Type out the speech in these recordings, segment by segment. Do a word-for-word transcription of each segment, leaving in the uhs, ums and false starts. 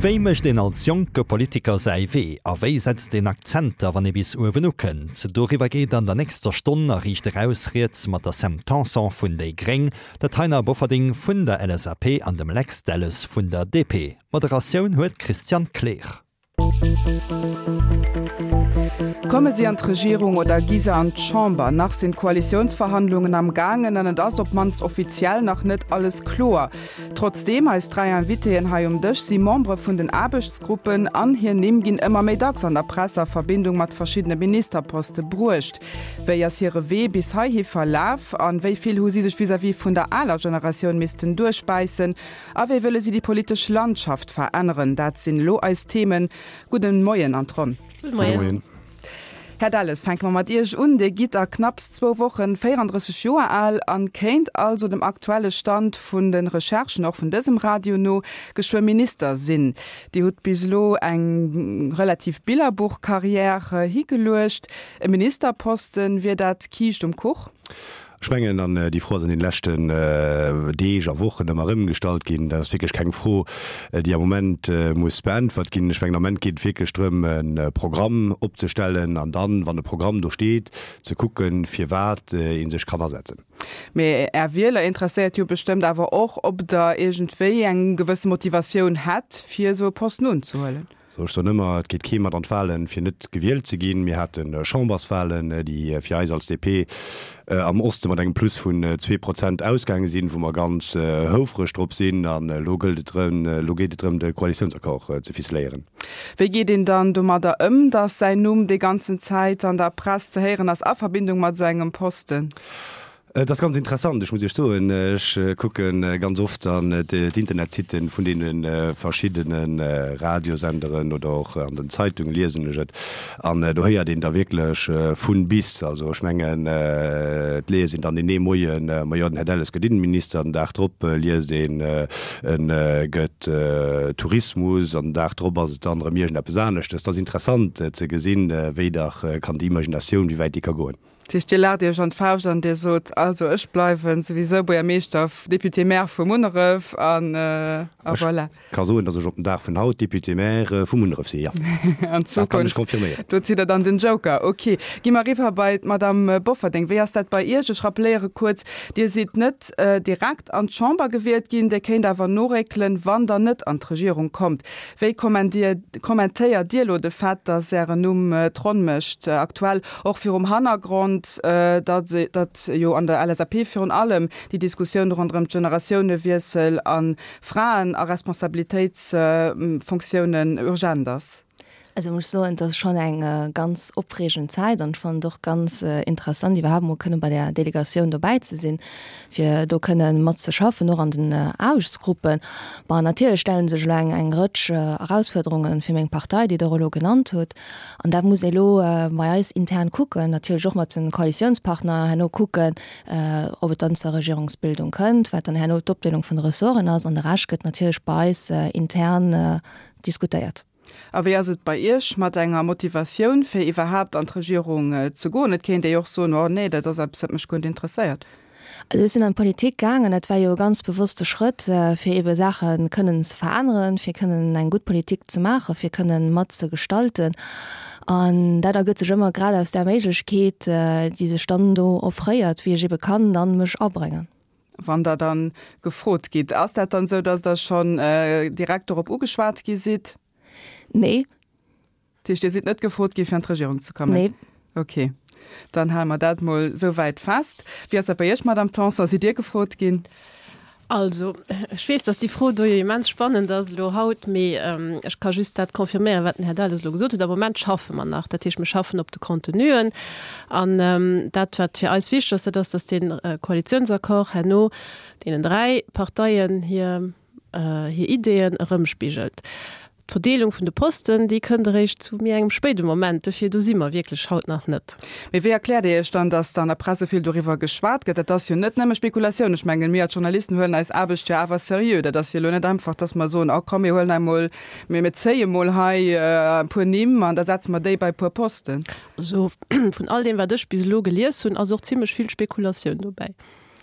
Wéi mécht een als jonke Politiker säi Wee a wéi setzt een Akzenter, wann ee bis uewen ukënnt? Doriwwer geet an der nächster Stonn a Riicht Eraus rieds mat der Sam Tanson vun déi Gréng, der Taina Bofferding vun der L S A P an dem Lex Delles vun der D P. Moderatioun huet d'Christiane Kleer. Komme si an d'Regierung oder gi se an d'Chamber? Nach sinn d'Koalitiounsverhandlungen am gaangen an et ass op d'mannst offiziell nach net alles kloer. Trotzdeem, eis dräi Invitéen hei um Dësch si Membere vun den Aarbechtsgruppen an hir Nimm ginn ëmmer méi dacks an der Press a Verbindung mat verschiddene Ministerposte bruecht. Wéi ass hire Wee bis heihi verlaf an wéi vill hu si sech vis-à-vis vun der aler Generatioun missten duerchbäissen? A wéi wëlle si déi politesch Landschaft veränneren? Dat sinn elo eis Themen. Gudden Moien an d'Ronn. Gudde Moien. Gudde Moien. Här Delles, fänke mer mat Iech un. Dir gitt a knapps zwou Wochen véierandrësseg Joer al an kéint also dem aktuelle Stand vun de Recherchen, och vun dësem Radio no, geschwë Minister sinn. Dir hutt bis elo eng relativ Billerbuchkarriär higeluecht. E Ministerposten, wier dat Kiischt um Kuch? Ech mengen, an déi Fro ass an den leschten Deeg a Wochen ëmmer erëm gestallt ginn. Dat ass wierklech keng Fro, déi am Moment muss beäntwert ginn. Ech mengen, am Moment geet et wierklech drëm, e Programm opzestellen an dann, wann e Programm do steet, ze kucken, firwat ee sech kann asetzen. Mee Är Wieler interesséiert jo bestëmmt awer och, ob der iergendwéi eng gewësse Motivatioun hätt, fir esou e Posten unzehuelen. So, ech soen ëmmer, et geet kee mat an d'Wahlen, fir net gewielt ze ginn. Mir hate Chamberswahlen, déi fir eis als D P am Oste mat engem Plus vun zwee Prozent ausgaange sinn, wou mer ganz houfreg drop sinn. An elo gëllt et drëm, elo geet et drëm, de Koalitiounsaccord ze ficeléieren. Wéi geet een dann domadder ëm, datt säin Numm déi ganzen Zäit an der Press ze héieren ass a Verbindung mat esou engem Posten? Dat ass ganz interessant. Ech muss Iech soen, ech kucke ganz oft an d'Internetsitten vun deene verschiddene Radiosenderen oder och an den Zeitungen liesen ech et. An do héiert een da wierklech vun bis. Also ech mengen, et liest een dann deen ee Moien, ma jo, den Här Delles gëtt Innenminister, den Dag drop liest een, en gëtt Tourismus, an den Dag drop ass et dann erëm iergendeppes aneschtes. Dat ass interessant ze gesinn, wéi dach kann déi Imaginatioun, wéi wäit déi ka goen. Dat heescht, Dir laacht Iech an d'Fauscht an Dir sot, also ech bleiwen souwisou Buergermeeschter, Député-Maire vu Munneref an, a Ech voilà. ka soen, datt ech op den Dag vun haut Député-Maire vu Munneref sinn, ja. An Dat kann ech Zukunft, confirméieren. do zitt Der dann den Joker. Ok, gi mer eriwwer bei d'Madame Bofferding. Wéi ass dat bei Iech? Ech rappeléiere kuerz, Dir sidd net direkt an d'Chamber gewielt ginn, Dir kéint awer noréckelen, wann Der net an d'Regierung kommt. Wéi kommentéiert Dir elo de Fait, datt Ären Numm d'Ronn mécht, aktuell och virum Hannergrond, datt, datt jo an der L S A P virun allem déi Diskussioun ronderëm d'Generatiounenwiessel an Fraen a Responsabilitéitsfunktiounen urgent ass? Also muss ich soen, das ist schon eng, äh, ganz opreegend Zäit an ech fand och ganz, äh, interessant, iwwerhaapt mol kënne bei der Delegatioun dobäi ze sinn, fir do kënne mat ze schaffen, och an den, äh, Aarbechtsgruppen. Ma natierlech stellen sech elo eng, eng Rëtsch, äh, Erausfuerderungen fir meng Partei, déi der elo genannt hutt. An dat muss elo, äh, bei eis intern kucken, natierlech och mat den Koalitiounspartner herno kucken, äh, ob et dann zur Regierungsbildung kënnt, wat dann herno d'Opdeelung vun de Ressorten ass, an de Rescht gëtt natierlech bei eis, äh, intern, äh, diskutéiert. A wéi ass et bei Iech mat enger Motivatioun, fir iwwerhaapt an d'Regierung, äh, ze goen? Et kéint Dir jo och soen, oh nee, dat ass eppes, wat mech guer net interesséiert. Also ech sinn an d'Politik gaangen, dat war jo e ganz bewusste Schrëtt, äh, fir ebe Saache kënnen ze veränneren, fir kënnen eng gutt Politik ze maachen, fir kënnen mat ze gestalten. An dat ergëtt sech ëmmer grad aus der Méiglechkeet, äh, déi sech dann do offréiert, wéi ech ebe kann dann mech abréngen. Wann der dann gefrot gitt, ass dat dann sou, dass der schonn, äh, direkt dorop ugeschwat gi sidd? Nee. Dat heescht, Dir sidd net gefrot gi fir an d'Regierung ze kommen? Nee. Okay, dann hale mer dat mol sou wäit fest. Wéi ass dat bei Iech, Madame Tanson? Sidd Dir gefrot ginn? Also, ech weess, dass déi Fro do jo immens spannend ass elo haut, mee, ähm, ech ka just dat confirméieren, wat den Här Delles elo gesot huet. Am Moment schaffe mer nach, dat heescht, mir schaffen op de Contenuen. An, ähm, dat, wat fir eis wichteg ass, dat ass, dass den, äh, Koalitionsaccord herno deenen dräi Parteien hir, äh, hir Ideeën erëmspigelt. D'Verdeelung vun de Posten, déi kënnt eréischt zu méi engem spéide Moment, dofir do si mer wierklech haut nach net. Mee wéi erkläert Dir Iech dann, datt an der Press esou vill doriwwer geschwat gëtt? Dat ass jo net nëmme Spekulatioun. Ech mengen, mir als Journalisten huelen eis Aarbecht jo awer seriö. Dat ass jo elo net einfach, datt mer soen, oh komm, mir huelen emol, mir, mir zéie mol hei, äh, e puer Nimm an da setze mer déi bei e puer Posten. Also, vun all deem, wat ech bis elo gelies hunn, ass och zimmlech vill Spekulatioun dobäi.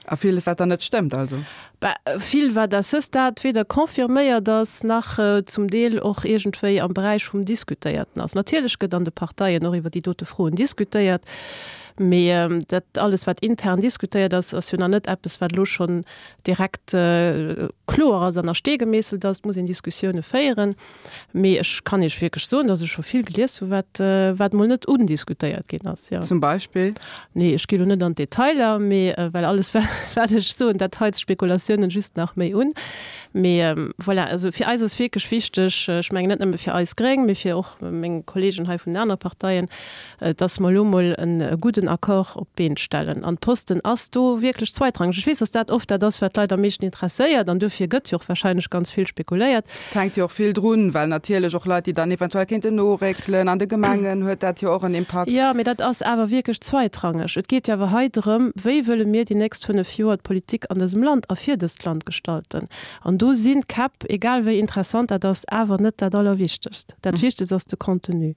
A villes, wat dann net stëmmt also? Bah, vill, wat à ce stade weder confirméiert ass, nach zum Deel och iergendwéi am Beräich vum Diskutéierten ass. Natierlech gëtt an de Parteien och iwwer déi dote Froen diskutéiert, mee dat alles, wat intern diskutéiert ass, ass jo nach net eppes, wat elo schonn direkt kloer ass an a Stee gemeesselt ass. Et muss een Diskussioune féieren. Mee ech kann Iech wierklech soen, datt ech scho vill gelies hu wat, wat mol net undiskutéiert ginn ass, jo. Zum Beispill? Nee, ech gi lo net an d'Detailer, mee well alles wat ech soen, dat heizt d'Spekulatiounen just nach méi un. Mee voilà, also fir eis ass wierklech wichteg, ech mengen net nëmme fir eis Gréng, mee fir och meng Kolleegen hei vun den anere Parteien, datt mer elo mol e gudden Accord op d'Been stellen. An d'Posten ass do wierklech zweitrangeg. Ech weess, datt dat oft dat ass, wat d'Leit am meeschten interesséiert an duerfir gëtt jo och warscheinlech ganz vill spekuléiert. Et hänkt jo och vill drun, well natierlech och Leit, déi dann eventuell kéinten noréckelen an de Gemengen, huet dat jo och en Impakt. Jo, mee dat ass awer wierklech zweitrangeg. Et geet jo awer hei drëm, Wéi wëlle mir déi nächst fënnef Joer d'Politik an dësem Land a fir dëst Land gestalten? An do sinn d'Käpp, egal wéi interessant dat ass, awer net dat Allerwichtegst. Dat Wichtegst ass de Contenu.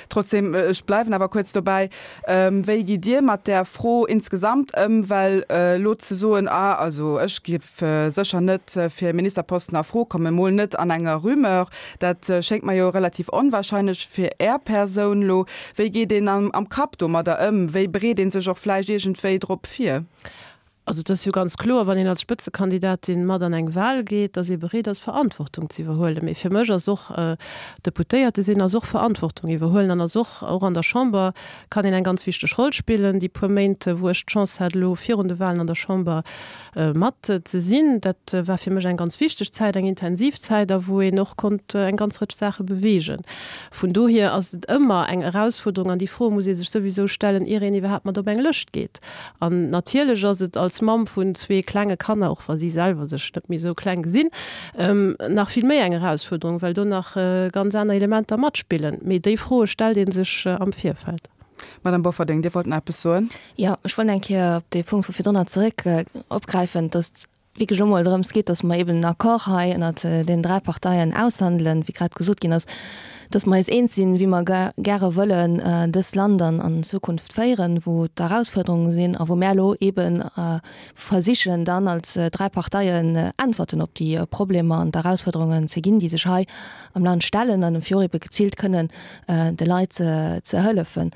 Trotzdem, ech bleiwen awer kuerz dobäi, wéi gitt Dir mat där Fro insgesamt ëm? Well elo ze soen, ah also ech géif sécher net fir e Ministerposten a Fro kommen, emol net an enger Rumeur, dat schéngt mer jo relativ onwahrscheinlech fir Är Persoun elo. Wéi geet een am Kapp domadder ëm? Wéi bereet ee sech och vläicht iergendwéi drop vir? Also et ass jo ganz kloer, wann een als Spëtzekandidatin mat an eng Wahl geet, datt ee bereet ass, Verantwortung ze iwwerhuelen. Mee fir mech ass och Deputéierte sinn ass och Verantwortung iwwerhuelen an ass och, och an der Chamber kann een eng ganz wichteg Roll spillen. Déi puer Méint, wou ech d'Chance hat elo virun de Wahlen an der Chamber mat ze sinn, dat war fir mech eng ganz wichteg Zäit, eng intensiv Zäit a wou een och konnt eng ganz Rëtsch Saache beweegen. Vun dohier ass et ëmmer eng Erausfuerderung an déi Fro muss ee sech souwisou stellen, ier een iwwerhaapt mat op eng Lëscht geet. An natierlech ass et als Mamm vun zwee klenge Kanner, och wa si selwer sech net méi esou kleng gesinn, nach vill méi eng Erausfuerderung, well do nach ganz aner Elementer matspillen. Mee déi Froe stellt ee sech am Virfeld. Madame Bofferding, Dir wollt nach eppes soen? Jo, ech wollt eng Kéier op dee Punkt vu virdrunner zeréck opgräifen, dass wierklech elo mol drëms geet, dass mer eben en Accord hei ënnert den dräi Parteien aushandelen, wéi grad gesot ginn ass, dass mer eis eens sinn, wéi mer gäre wëllen dëst Land an an Zukunft féieren, wou d'Erausfuerderunge sinn a wou mär elo eben versichen dann als dräi Parteien Äntwerten op déi Problemer an d'Erausfuerderungen ze ginn, déi sech hei am Land stellen an fir och ebe geziilt kënnen de Leit ze hëllefen.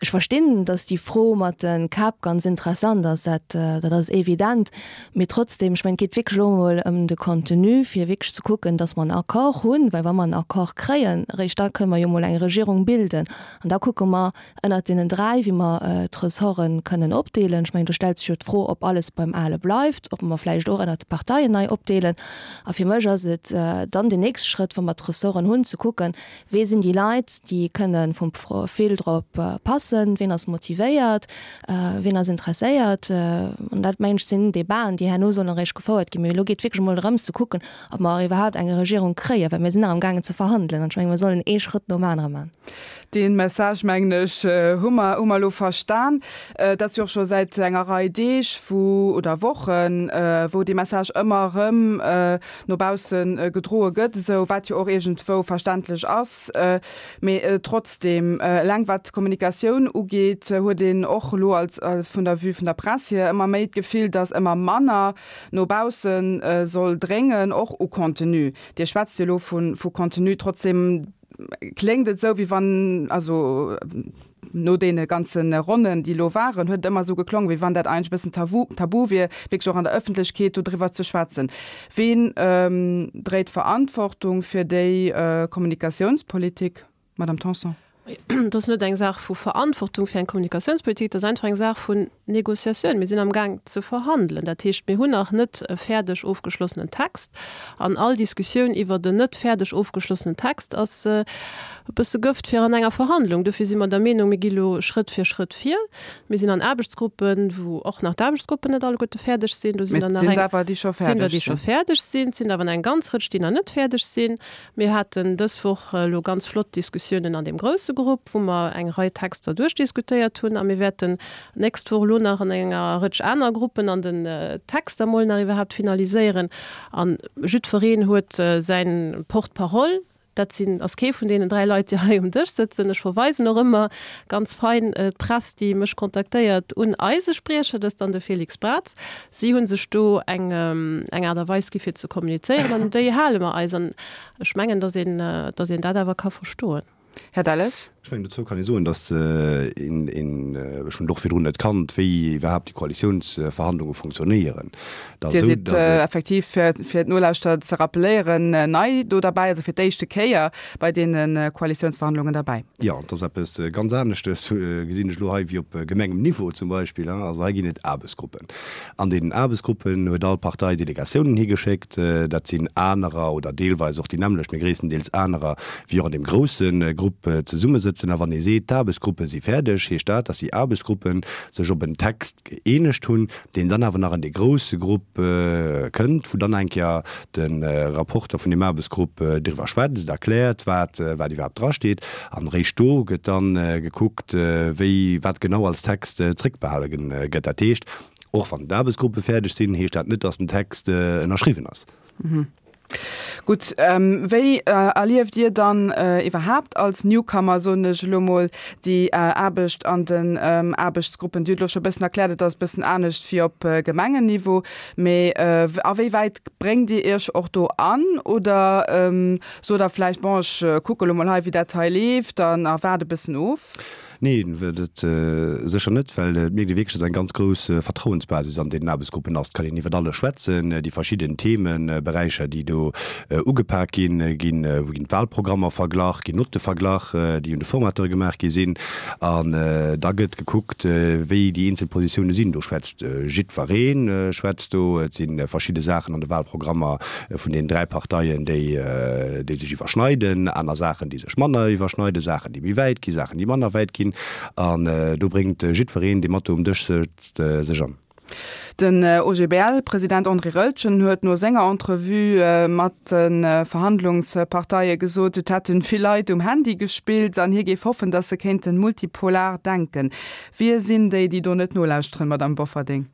Ech verstinn, dass déi Fro mat de Käpp ganz interessant ass, dat, dat ass evident. Mee trotzdem, ech mengen, et geet wierklech elo emol ëm de Contenu, fir wierklech ze kucken, dass mer en Accord hunn, well wa mer en Accord kréien, eréischt da kënnen mer jo emol eng Regierung bilden. An da kucke mer ënnert deenen dräi, wéi mer d'Ressorte kënnen opdeelen. Ech mengen, do stellt sech jo d'Fro, ob alles beim Ale bleift, ob mer vläicht och ënnert de Parteien nei opdeelen. A fir mech ass et dann deen nächste Schrëtt, wa mer d'Ressorten hunn, ze kucken, Wee sinn déi Leit, déi kënne vum Profil drop passen? Ween ass motivéiert? Ween ass interesséiert? An dat, mengen ech, sinn Debaten, déi herno sollen eréischt gefouert ginn. Mee elo geet et wierklech emol drëms ze kucken, ob mer iwwerhaapt eng Regierung kréien, well mir sinn nach amgaangen ze verhandelen. An ech mengen, mir sollen ee Schrëtt nom anere maachen. Dee Message, mengen ech, hu mer, hu mer elo verstan. Et ass jo och scho säit enger Rei Deeg, wou, oder Wochen, wou dee Message ëmmer erëm no bausse gedroe gëtt, esou, wat jo och iergendwou verständlech ass. Mee trotzdeem, eleng wat d'Kommunikatioun ugeet, huet een och elo als, vun der Vue vun der Press hier ëmmer méi d'Gefill, datt ëmmer manner no bausse soll dréngen, och u Contenu. Dir schwätzt jo elo vu, vu Contenu. Trotzdeem kléngt et esou, wéi wann, also no deene ganze Ronnen, déi elo waren, huet et ëmmer esou geklongen, wéi wann dat eigentlech e bëssen tabu, tabu wier, wierklech och an der Ëffentlechkeet do driwwer ze schwätzen. Ween dréit d'Verantwortung fir déi Kommunikatiounspolitik, Madame Tanson? Et ass net eng Saach vu Verantwortung fir eng Kommunikatiounspolitik, et ass einfach eng Saach vun Négociatioun. Mir sinn amgaang ze verhandelen. Dat heescht, mir hunn nach net e fäerdeg ofgeschlossenen Text. An all Diskussioun iwwert en net fäerdeg ofgeschlossenen Text ass e bësse Gëft fir an enger Verhandlung. Dofir si mer der Meenung, mir gi lo Schrëtt fir Schrëtt vir. Mir sinn an Aarbechtsgruppen, wou och nach d'Aarbechtsgruppen net alleguerte fäerdeg sinn. Do sinn der nach eng, sinn der, déi scho fäerdeg sinn. Et sinn der awer nach eng ganz Rëtsch, déi nach net fäerdeg sinn. Mir haten dës Woch elo ganz flott Diskussiounen an deem grousse Grupp, wou mer eng Rei Texter duerchdiskutéiert hunn. A mir wäerten d'nächst Woch elo nach an enger Rëtsch aner Gruppen an den Texter emol nach iwwerhaapt finaliséieren. A jiddwereen huet säin Porte-parole. Dat sinn, ass kee vun deenen dräi Leit, déi hei um Dësch sëtzen. Ech verweisen och ëmmer ganz fein d'Press, déi mech kontaktéiert, un eise Spriecher, dat ass dann de Félix Braz. Si hu sech do eng, eng Aart a Weis gi fir ze kommunizéieren an un déi hale mer eis. An ech mengen, datt een, datt een dat awer ka verstoen. Här Delles. Ech mengen, dozou kann ee soen, datt een, een, ech hunn et och virdrun net kannt, wéi iwwerhaapt déi Koalitiounsverhandlunge funktionéieren. Et ass Dir esou, sidd datt et. effektiv, fir, fir d'Nolauschterer ze rappeléieren, nei do derbäi, also fir d'éischte Kéier bei deene Koalitiounsverhandlungen derbäi. Jo, et ass eppes ganz aneschtes, gesinn ech elo hei, wéi op Gemengem-Niveau zum Beispill. Also hei ginn et Aarbechtsgruppen. An deenen Aarbechtsgruppen huet all Partei Delegatiounen higeschéckt. Dat sinn anerer oder deelweis och déi nämmlecht, mee gréisstendeels anerer, wéi och an deem grousse Grupp zesummesëtzen. A wann ee seet, d'Aarbechtsgruppe si fäerdeg, heescht dat, datt déi Aarbechtsgruppe sech op en Text gëeenegt hunn, deen dann awer nach an dee grousse Grupp kënnt, wou dann eng Kéier de Rapporter vun deem Aarbechtsgrupp driwwer schwätzt, erkläert, wat wat iwwerhaapt drasteet. An eréischt do gëtt da gekuckt, wéi wat genau als Text zréckbehale gëtt. Dat heescht, och wann d'Aarbechtsgruppe fäerdeg sinn, heescht dat net, datt den Text ënnerschriwwen ass. Gutt, wéi erlieft Dir dann iwwerhaapt als Newcomer, soen ech elo mol, déi Aarbecht an den Aarbechtsgruppen? Dir hutt elo scho e bëssen erkläert, et ass e bëssen anescht wéi op Gemengenniveau, mee a wéi wäit bréngt Dir Iech och do an oder sot Der vläicht, bon, ech kucke elo mol hei, wéi dat hei leeft an a waart e bëssen of? Neen, dat sécher net, well et mierkt ee wierklech, datt eng ganz grouss Vertrauensbasis an deenen Aarbechtsgruppen ass. Et kann een iwwert alles schwätzen, déi verschidden Themeberäicher, déi do ugepak ginn, ginn, wou ginn d'Wahlprogrammer verglach, ginn Notte verglach, déi un de Formateure gemaach gi sinn. An da gëtt gekuckt, wéi déi eenzel Positioune sinn. Do schwätzt jiddweree schwätzt do. Et si verschidde Saachen an de Wahlprogrammer vun deenen dräi Parteien, déi, déi sech iwwerschneiden, aner Saachen, déi sech manner iwwerschneiden, Saachen, déi méi wäit ginn, Saachen, déi manner wäit ginn. An do bréngt jiddwereen, dee mat do um Dësch sëtzt, sech an. Den O G B L-President André Roeltgen huet no senger Entrevue mat de Verhandlungsparteie gesot, et hätte vill Leit um Handy gespillt an hie géif hoffen, datt se kéinte multipolar denken. Wie sinn déi, déi do net nolauschteren, Madamm Bofferding?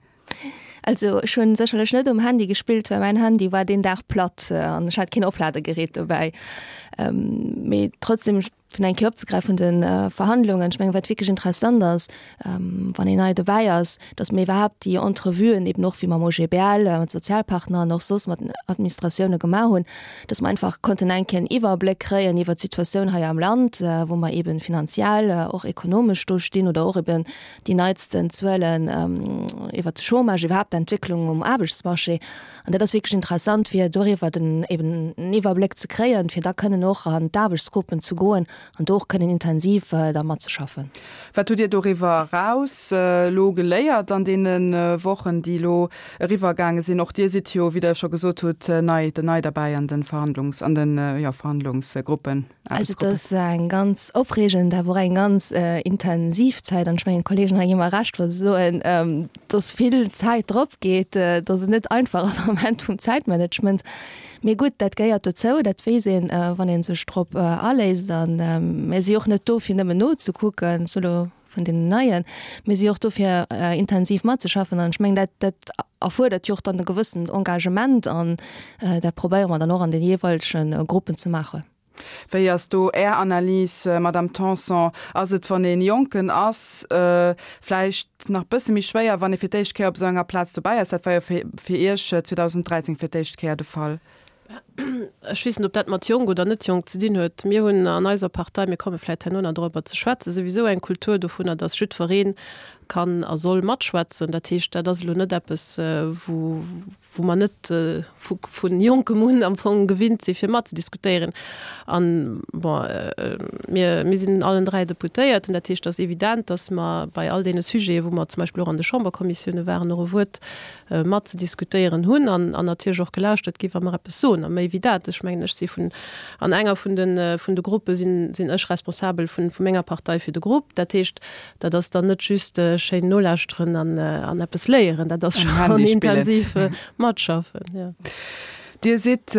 Also ech hunn sécherlech net um Handy gespillt, well mäin Handy war deen Dag platt an ech hat keen Opladegerät dobäi. Mee trotzdem, fir nach eng Kéier opzegräifen vun de Verhandlungen, ech mengen, wat wierklech interessant ass, wann een nei dobäi ass, datt mir iwwerhaapt déi Entrevuen eben och wéi mam O G B L, mat Sozialpartner an och soss mat den Administratioune gemaach hunn, datt mer einfach konnten eng Kéier en Iwwerbléck kréien iwwert d'Situatioun hei am Land, wou mer eben finanziell, och ekonomesch do stinn oder och eben déi neitsten Zuelen iwwert de Chômage, iwwerhaapt d'Entwécklung um Aarbechtsmarché. An dat ass wierklech interessant, fir doriwwer den eben en Iwwerbléck ze kréien, fir da kënnen och an d'Aarbechtsgruppen ze goen an do och kënnen intensiv da matzeschaffen. Wat hutt Dir doriwwer eraus elo geléiert an deene Wochen, déi elo eriwwergaange sinn? Och Dir sidd jo, wéi Der scho gesot hutt, nei, nei derbäi an de Verhandlungs-, an den, jo, Verhandlungsgruppen. Also et ass eng ganz opreegend, awer och eng ganz intensiv Zäit. An ech mengen, d'Kolleegen hei gi mer Recht, wa se soen, dass vill Zäit drop geet, dass et net einfach ass am Moment vum Zäitmanagement. Mee gutt, dat gehéiert dozou, dat weess een, wann ee sech drop aléisst. A mir si jo och net do, fir nëmmen nozekucken, solo vun deenen Neien, mir si jo och do, fir intensiv matzeschaffen. An ech mengen, dat, dat erfuerdert jo och dann e gewëssent Engagement an dat probéiere mer dann och an de jeeweilege Gruppen ze maachen. Wéi ass do Är Analys, Madame Tanson? Ass et, wann ee Jonken ass, vläicht nach bësse méi schwéier, wann ee fir d'éischt Kéier op esou enger Plaz dobäi ass? Dat war jo fir Iech zweedausendräizéng fir d'éischt Kéier de Fall. Ech weess net, ob dat mat jonk oder net jonk ze dinn huet. Mir hunn an eiser Partei, mir komme vläicht herno nach dorobber ze schwätzen, souwisou eng Kultur dovunner, dass jiddweree kann a soll matschwätzen. Dat heescht, dat ass elo net eppes, wou, wou mer net vu vu jonkem un am Fong gewinnt si fir matzediskutéieren. An, bon, mir, mir sinn allen dräi Deputéierten, dat heescht, et ass evident, dass mer bei all deene Sujeten, wou mer zum Beispill och an de Chamberkommissioune waren, och e Wuert matzediskutéieren hunn an, an natierlech och gelauschtert gi wa mer eppes soen. A méi wéi dat, ech mengen, ech si vun, an enger vun de, vun de Gruppe sinn, sinn ech responsabel vun, vu menger Partei fir de Grupp. Dat heescht, dat ass dann net just schéin nolauschteren an, an eppes léieren, dat ass Am schonn Handy spillen. intensiv matschaffen, jo. Dir sidd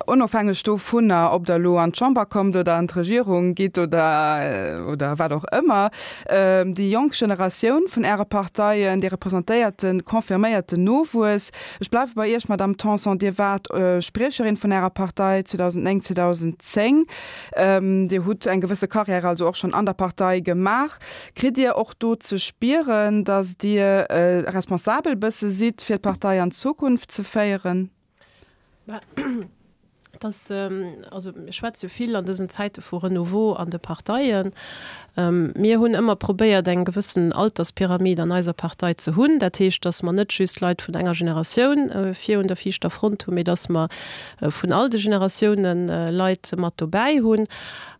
onofhängeg dovunner, ob Der elo an d'Chamber kommt oder an d'Regierung gitt oder oder wat och ëmmer, déi jonk Generatioun vun Äre Parteien, Dir representéiert de confirméierten Nowuess. Ech bleiwe bei Iech, Madamm Tanson. Dir waart Spriecherin vun Ärer Partei zweedausenddnéng, zweedausendzéng. Dir hutt eng gewësse Carrière also och schonn an der Partei gemaach. Kritt Dir och do ze spieren, datt Dir responsabel bësse sidd, fir d'Partei an d'Zukunft ze féieren? Mä et ass, also mir schwätze jo vill an dësen Zäite vu Renouveau an de Parteien. Mir hunn ëmmer probéiert, eng gewëssen Alterspyramid an eiser Partei ze hunn. Dat heescht, datt mer net just Leit vun enger Generatioun vir un der viischter Front hunn, mee datt mer vun all de Generatiounen Leit mat dobäi hunn.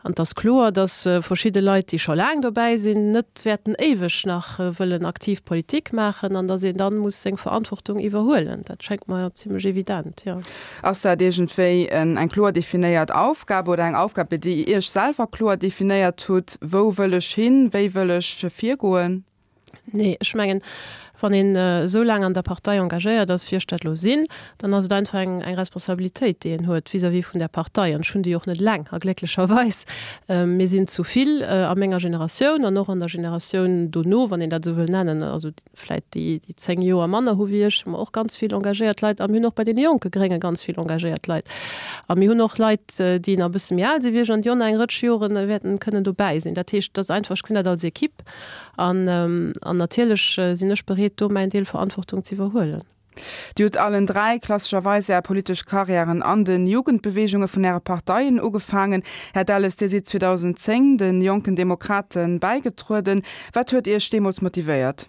An et ass kloer, datt verschidde Leit, déi scho laang dobäi sinn, net wäerten éiweg nach wëllen aktiv Politik maachen an datt een dann muss seng Verantwortung iwwerhuelen. Dat schéngt mer zimlech evident, jo. Ass dat iergendwéi eng kloer definéiert Aufgab oder eng Aufgab, déi Dir Iech selwer kloer definéiert hutt, Wou wëll ech hin, wéi wëll ech virgoen? Nee, ech mengen, wann een esou laang an der Partei engagéiert ass, wéi ech dat elo sinn, dann ass et einfach eng eng Responsabilitéit, déi een huet vis-à-vis vun där Partei. An ech hunn déi och net eleng, a glécklecherweis. Mir sinn zu vill a menger Generatioun an och an der Generatioun dono, wann een dat esou wëll nennen, also vläicht déi, déi zéng Joer manner hu wéi ech, hu mer och ganz vill engagéiert Leit. A mir hunn och bei deene jonke Grénge ganz vill engagéiert Leit. A mir hunn och Leit, déi nach e bësse méi al si wéi ech an déi och nach eng Rëtsch Jore wäerten kënnen dobäi sinn. Dat heescht, et ass einfach, ech gesinn dat als Equipe. An natierlech sinn ech bereet, do mäin Deel Verantwortung ze iwwerhuelen. Dir hutt allen dräi klassescherweis Är politesch Karriären an de Jugendbeweegunge vun Äre Parteien ugefaangen. Här Delles, Dir sidd zweedausendzéng de Jonken Demokrate bäigetrueden. Wat huet Iech deemools motivéiert?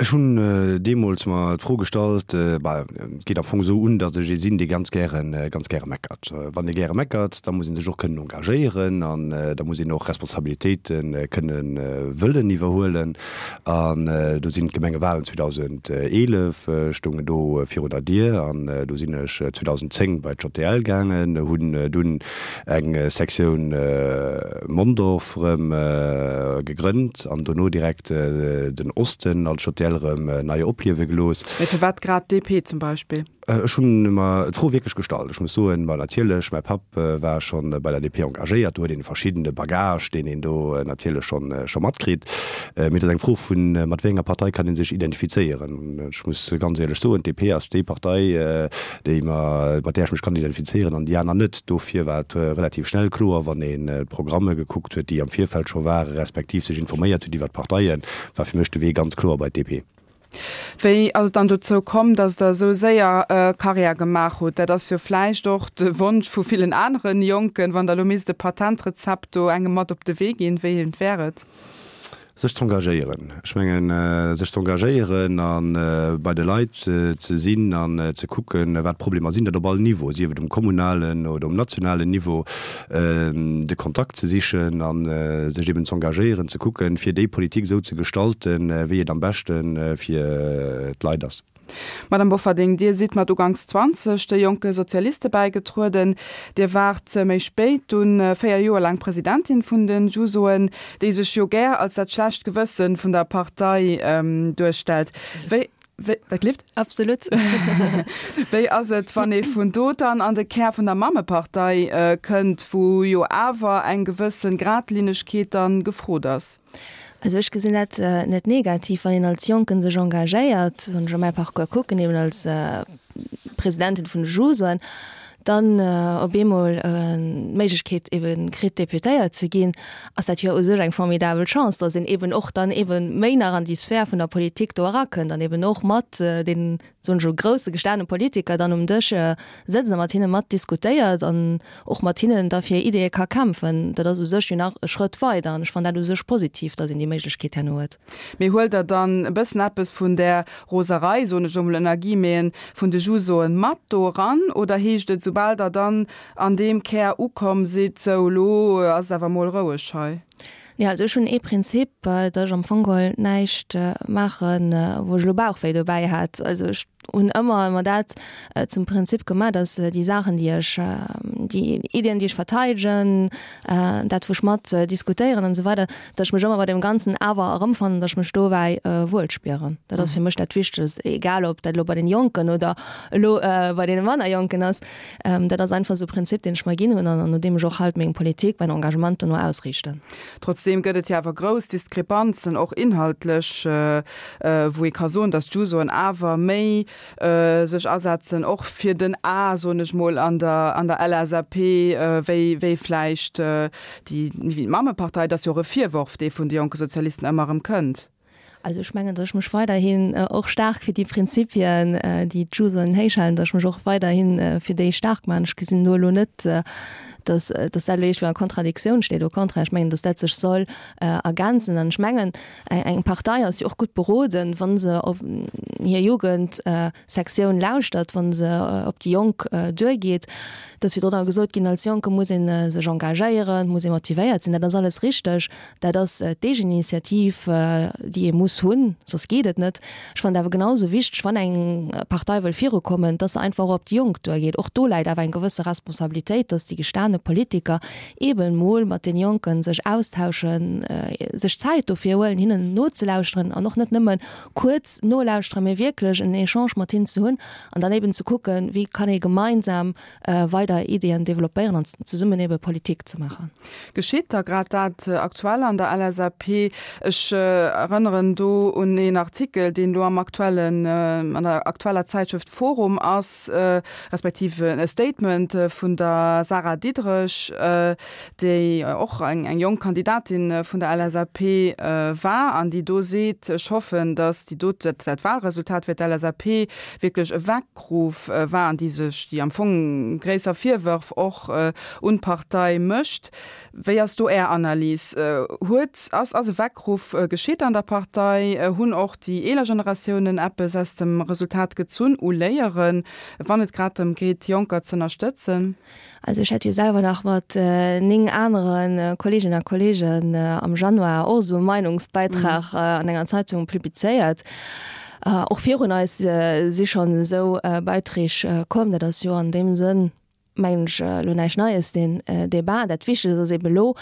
Ech hunn deemools mer d'Fro gestallt, bah, et geet am Fong esou un, datt ech ee sinn, dee ganz gären, ganz gäre meckert. Wann ee gäre meckert, da muss ee sech och kënnen engagéieren an da muss een och Responsabilitéite kënnen wëllen iwwerhuelen. An do sinn d'Gemengewalen zweedausendeelef stoungen do virun der Dier an do sinn ech zweedausendzéng bei d'J T L gaangen, hunn dunn eng Sektioun Mondorf erëm gegrënnt an dono direkt den Osten als J T L erëm nei opliewe gelooss. Mee firwat grad D P zum Beispill? Ech hunn mer d'Fro wierklech gestallt. Ech muss soen, ma natierlech, mäi Papp war schonn bei der D P engagéiert, do huet een e verschiddene Bagage, deen een do natierlech schonn scho matkritt. Mee et ass eng Fro vun, mat wéi enger Partei kann ee sech identifizéieren. Ech muss ganz éierlech soen, d'D P ass déi Partei, déi mer, mat där ech mech kann identifizéieren an déi aner net. Dofir war et relativ schnell kloer, wann een d'Programme gekuckt huet, déi am Virfeld scho waren, respektiv sech informéiert huet iwwer d'Parteien, war fir mech de Wee ganz kloer bei d'D P. Wéi ass et dann dozou komm, datt Der esou séier Karriär gemaach hutt? Dat ass jo vläicht och de Wonsch vu villen aneren Jonken. Wann Der elo misst e Patentrezept do engem mat op de Wee ginn, wéi eent wär et? Sech z'engagéieren. Ech mengen, sech z'engagéieren a bei de Leit ze sinn an ze kucken, wat d'Problemer sinn, dat op all Niveau, sief et um kommunalen oder um nationalen Niveau, de Kontakt ze sichen a sech eben z'engagéieren, ze kucken, fir déi Politik esou ze gestalten, wéi et am beschte fir d'Leit ass. Madame Bofferding, Dir sidd mat uganks zwanzeg de Jonke Sozialiste bäigetrueden. Dir waart méi spéit dunn véier Joer laang Presidentin vun de Jusoen, déi sech jo gär als dat schlecht Gewësse vun der Partei duerstellt. Wéi, wéi, dat klifft? Absolut. Wéi ass et, wann ee vun do dann an de Kär vun der Mammepartei kënnt, wou jo awer eng gewësse Gradlinnegkeet dann gefrot ass? Also ech gesinn dat net negativ, wann een als Jonken sech engagéiert, wann ech op mäi Parcours kucken, eben als Presidentin vun de Jusoen, dann op eemol d'Méiglechkeet eben kritt Deputéiert ze ginn, ass dat jo u sech eng formidabel Chance, datt een eben och dann eben méi nach an déi Sphär vun der Politik do erakënnt an eben och mat den, soen ech elo, grousse gestane Politiker dann um Dësch sëtzt a mat hinne mat diskutéiert an och mat hinnen da fir Ideeë ka kämpfen. Dat ass u sech jo nach e Schrëtt weider an ech fannen dat u sech positiv, datt een déi Méiglechkeet herno huet. Mee huelt Der dann e bëssen eppes vun där Roserei, soen ech elo mol ënner Guillemeten, vun de Jusoen mat do eran oder heescht et, soubal Der dann an deem Kär ukomm sidd, sou elo ass et awer mol roueg hei? Nee, also ech hunn ee Prinzip, datt ech am Fong geholl näischt maachen, wou ech elo Bauchwéi dobäi hätt. Also ech hunn ëmmer ëmmer dat zum Prinzip gemaach, dass déi Saachen, déi ech, déi Iddien, déi ech verteidegen, dat wou ech mat diskutéieren an esou weider, dass ech mech ëmmer bei deem Ganzen awer erëmfannen, dass ech mech dobäi wuel spieren. Dat ass fir mech dat Wichtegst, egal ob dat elo bei den Jonken oder elo bei deene manner Jonken ass. Dat ass einfach esou e Prinzip, deen ech mer ginn hunn an no deem ech och halt meng Politik, mäin Engagement dono ausriichten. Trotzdeem gëtt et jo awer grouss Diskrepanzen, och inhaltlech, wou ee ka soen, dass d'Jusoen awer méi sech asetzen, och fir den A, soen ech mol, an der an der LSAP, wéi wéi vläicht déi Mammepartei. Et ass jo och e Virworf, dee vun de jonke Sozialisten ëmmer erëm kënnt. Also ech mengen, datt ech mech weiderhin och staark fir déi Prinzipien, déi d'Jusoen héichhalen, datt ech mech och weiderhi fir déi staark maachen. Ech gesinn do elo net, datt datt dat elo iergendwéi a Kontradiktioun steet. Au contraire, ech mengen, datt dat sech soll ergänzen. An ech mengen, eng Partei ass jo och gutt beroden, wa se op hir Jugendsektioun lauschtert, wa se op déi Jonk duergeet. Et ass virdrun och gesot ginn, als Jonke muss ee sech engagéieren, muss ee motivéiert sinn. Dat ass alles richteg. Dat ass d'Eegeninitiativ, déi ee muss hunn, soss geet et net. Ech fannen et awer genau esou wichteg, wann eng Partei wëll virukommen, dass se einfach och op déi Jonk duergeet. Och do läit awer eng gewësse Responsabilitéit, dass déi gestane Politiker eeben emol mat den Jonke sech austauschen, sech Zäit dofir huelen, hinnen nozelauschteren an och net nëmme kuerz nolauschteren, mee wierklech en Echange mat hinnen ze hunn an dann eeben ze kucken, wéi kann ee gemeinsam weider Ideeën developpéieren an zesummen ebe Politik ze maachen. Geschitt da grad dat aktuell an der LSAP? Ech erënneren do un een Artikel, deen do am aktuellen, an der aktueller Zäitschrëft Forum ass, respektiv e Statement vun der Sarah Diderich, déi och eng jonk Kandidatin vun der LSAP war an déi do seet, Ech hoffen, datt déi dote, dat Wahlresultat fir d'LSAP wierklech e Weckruff war an déi sech, déi am Fong gréisser Virwërf och un d'Partei mécht. Wéi ass do Är Analys? Huet, ass, ass e Weckruff geschitt an der Partei? Hunn och déi eeler Generatiounen eppes aus dem Resultat gezunn u Léieren, wann et grad drëm geet, Jonker z'ënnerstëtzen? Also ech hätt jo selwer nach mat néng anere Kolleeginnen a Kolleegen am Januar och esou e Meinungsbeitrag an enger Zeitung publizéiert. Och virun eis si schonn esou Beiträg komm. Dat ass jo an deem Sënn, mengen ech, elo näischt Neies, deen Débat. Dat Wichtegst ass eeben elo,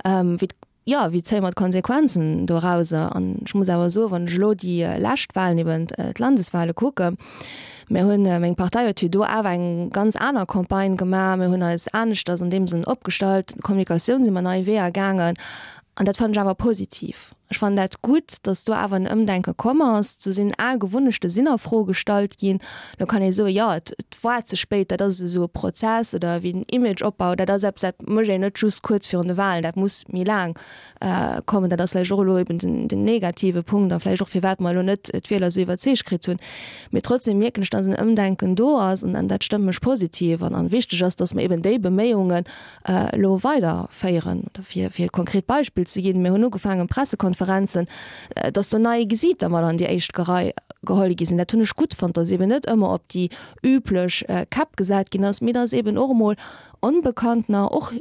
wéi, jo, wéi zéie mer d'Konsequenzen dorauser? An ech muss awer soen, wann ech elo déi lescht Wahlen, eben d'Landeswahle kucken, mir hunn, meng Partei huet jo do awer eng ganz aner Campagne gemaach, mir hunn eis aneschters an deem Sënn opgestallt, d'Kommunikatioun si mer nei Weeër gaangen an dat fannen ech awer positiv. Ech fannen dat gutt, datt do awer en Ëmdenke komm ass. Do sinn al Gewunnechte sinn a Fro gestallt ginn. Lo kann ee soen, jo, et war ze spéit, dat ass esou e Prozess oder wéi den Imageopbau, dat ass eppes, dat mécht een net just kuerz virun de Wahlen, dat muss méi laang kommen. Dat ass vläicht och elo eben den negative Punkt a vläicht och firwat mer elo net d'Wieler esou iwwerzeegt kritt hunn. Mee trotzdem mierken ech, datt en Ëmdenken do ass an dat stëmmt mech positiv. An wichteg ass, datt mer eben déi Beméiungen elo weiderféieren. Oder fir e konkret Beispill ze ginn, Mir hunn ugefaangen, Pressekonferenzen, datt do nei Gesiiter mat an déi éischt Rei geholl gi sinn. Dat hunn ech gutt fonnt, datt eben net ëmmer op déi üblech Käpp gesat ginn ass, mee datt eben och emol Onbekanntener, och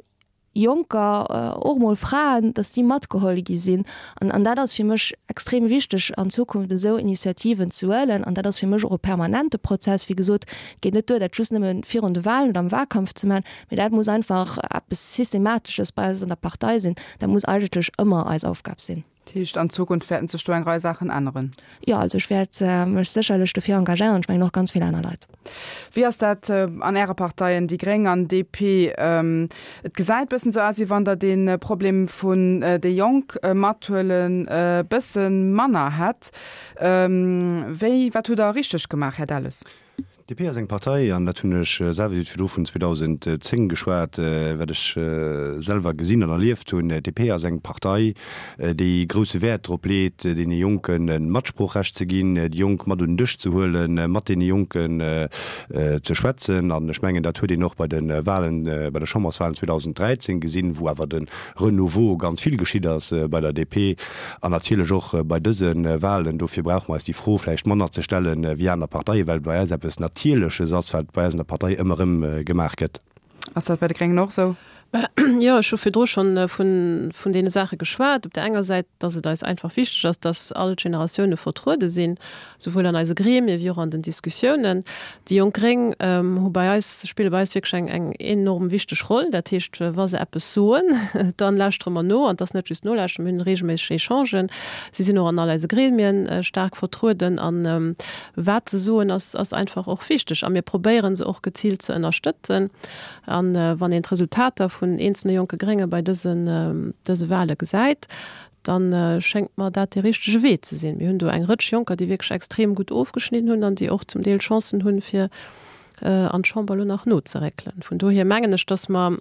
Jonker, och emol Fraen, datt déi matgeholl gi sinn. An an dat ass fir mech extrem wichteg an Zukunft esou Initiativen ze huelen. An dat ass fir mech och e permanente Prozess. Wéi gesot, et geet net duer, dat just nëmme virun de Wahlen oder am Wahlkampf ze maachen, mee dat muss einfach eppes Systematesches bei eis an der Partei sinn. Dat muss eigentlech ëmmer eis Aufgab sinn. Dat heescht, an Zukunft wäerten sech do eng Rei Saachen änneren? Jo, also ech wäert mech sécherlech dofir engagéieren an ech mengen och ganz vill aner Leit. Wéi ass dat an Äre Parteien, déi gréng an DP? Et gesäit bëssen esou aus, wéi wann Der dee Problem vun déi Jonk mathuelen e bësse manner hätt. Wéi, wat hutt Der richteg gemaach, Här Delles? DP ass eng Partei, an dat hunn ech selwer, Dir hutt virdru vun zweedausendzéng geschwat, wat ech selwer gesinn an erlieft hunn, DP ass eng Partei, déi grousse Wäert drop leet, deene Jonken e Matsproochrecht ze ginn, déi Jonk mat un den Dësch ze huelen, mat deene Jonken ze schwätzen. An ech mengen, dat huet een och bei de Wahlen, bei de Chamberswahlen zweedausenddräizéng gesinn, wou awer de Renouveau ganz vill geschitt ass bei der D P an natierlech och bei dëse Wahlen. Dofir brauche mer eis déi Fro vläicht manner ze stellen wéi aner Parteien, well et bei eis eppes Natierleches ass, wat bei eis an der Partei ëmmer erëm gemaach gëtt. Ass dat bei de Gréngen och esou? Jo, ech hu virdru schonn vun, vun deene Saache geschwat. Op där enger Säit, dass et eis einfach wichteg ass, dass all d'Generatioune vertruede sinn, souwuel an eise Gremie wéi och an den Diskussiounen. Déi Jonk Gréng hu bei eis, spille bei eis wierklech eng, eng enorm wichteg Roll. Dat heescht, wa se eppes soen, dann lauschtere mer no. An et ass net just nolauschteren, mir hunn reegelméisseg Echangen. Si sinn och an all eise Gremien staark vertrueden. An wat se soen, ass, ass einfach och wichteg. A mir probéiere se och geziilt ze ënnerstëtzen. An wann een d'Resultater vun eenzelne jonke Grénge bei dësen, dëse Wahle gesäit, da schéngt mer dat dee richtege Wee ze sinn. Mir hunn do eng Rëtsch Jonker, déi wierklech extrem gutt ofgeschnidden hunn an déi och zum Deel Chancen hunn, fir an d'Chamber elo nach nozeréckelen. Vun dohier mengen ech, dass mer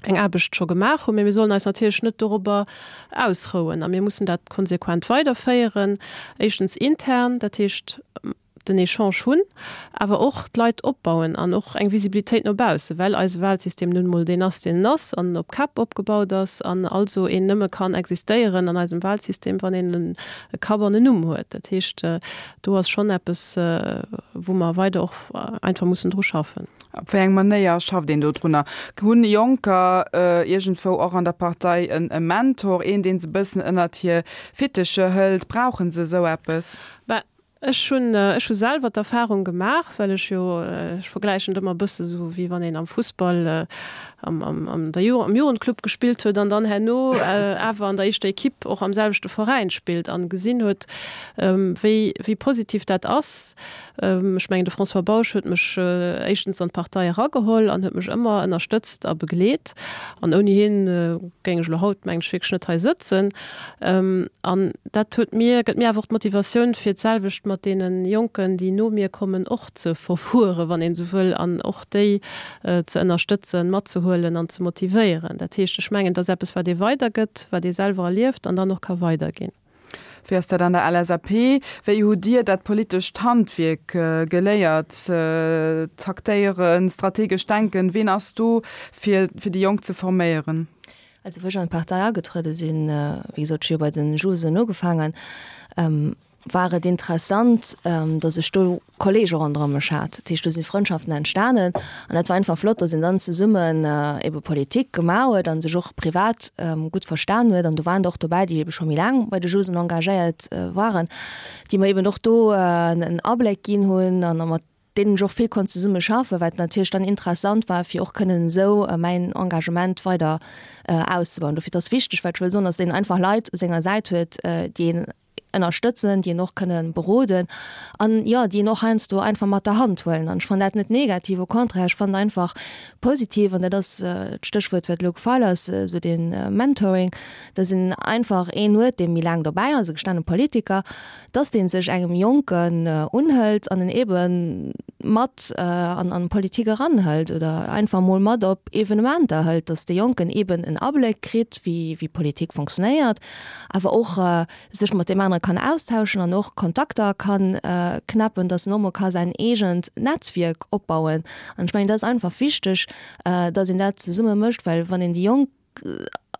eng Aarbecht scho gemaach hunn, mee mir sollen eis natierlech net dorobber ausrouen a mir mussen dat konsequent weiderféieren, éischtens intern, dat heescht den Echange hunn, awer och d'Leit opbauen an och eng Visibilitéit no bausse, well eise Wahlsystem nun emol deen ass, deen en ass an op Käpp opgebaut ass an also een nëmme kann existéieren an eisem Wahlsystem, wann een e Kapp an en Numm huet. Dat heescht, do ass schonn eppes, wou mer weider och einfach mussen dru schaffen. Op wéi eng Manéier schafft een do drunner? Hunn Jonker iergendwou och an der Partei e Mentor, een, dee se e bëssen ënnert hir Fittecher hëlt? Brauche se esou eppes? Bah, ech hunn, ech hu selwer d'Erfahrung gemaach, well ech jo, ech vergläichen et ëmmer e bësse sou, wéi wann een am Fussball am, am, am der Ju-, am Jugendclub gespillt huet an dann herno awer an der éischter Equipe och am selwechte Veräin spillt an gesinn huet, wéi, wéi positiv dat ass. Ech mengen, de François Bausch huet mech éischtens an d'Partei erageholl an huet mech ëmmer ënnerstëtzt a begleet. An ouni hien géing ech elo haut, mengen ech, wierklech net hei sëtzen. An dat huet mir, gëtt mir awer och d'Motivatioun, fir d'selwecht mat deene Jonken, déi no mir kommen, och ze verfueren, wann een esou wëll, an och déi ze ënnerstëtzen, matzehuelen an ze motivéieren. Dat heescht, ech mengen, dat ass eppes, wat ee weidergëtt, wat ee selwer erlieft an dann och ka weiderginn. Wéi ass dat an der LSAP? Wéi hutt Dir dat politescht Handwierk geléiert, taktéieren, strategesch denken? Ween ass do fir fir déi Jonk ze forméieren? Also wou ech an d'Partei agetruede sinn, wéi gesot, ech hu jo bei de Jusoen ugefaangen, war et interessant, datt ech do Kollege ronderëm mech hat. Dat heescht, do si Frëndschaften entstanen an dat war einfach flott, datt een dann zesummen ebe Politik gemaach huet a sech och privat gutt verstan huet. An do waren der och dobäi, déi ebe scho méi laang bei de Jusen engagéiert waren, déi mer eben och do en Abléck ginn hunn an mat deenen ech och vill konnt zesumme schaffen, wat natierlech dann interessant war, fir och kënnen esou mäin Engagement weider auszebauen. Dofir, et ass wichteg, wat ech wëll soen, datt een einfach Leit u senger Säit huet, déi een ënnerstëtzen, déi een och kënne beroden an, jo, déi een och heiansdo einfach mat der Hand huelen. An ech fannen dat net negativ, au contraire, ech fannen einfach positiv, an dat ass d'Stéchwuert, wat elo gefall ass, esou dee Mentoring, dass een einfach een huet, dee méi laang dobäi ass, e gestane Politiker, dass dee sech engem Jonken unhëlt an en ebe mat an an d'Politik eranhëlt oder einfach emol mat op Evenementer hëlt, dass de Jonken eben en Abléck kritt, wéi wéi Politik fonctionnéiert, awer och sech mat deem anere kann austauschen an och Kontakter kann knäppen, dass en och mol ka säin eegent Netzwierk opbauen. An ech mengen, dat ass einfach wichteg, dass een dat zesumme mécht, well wann een déi Jonk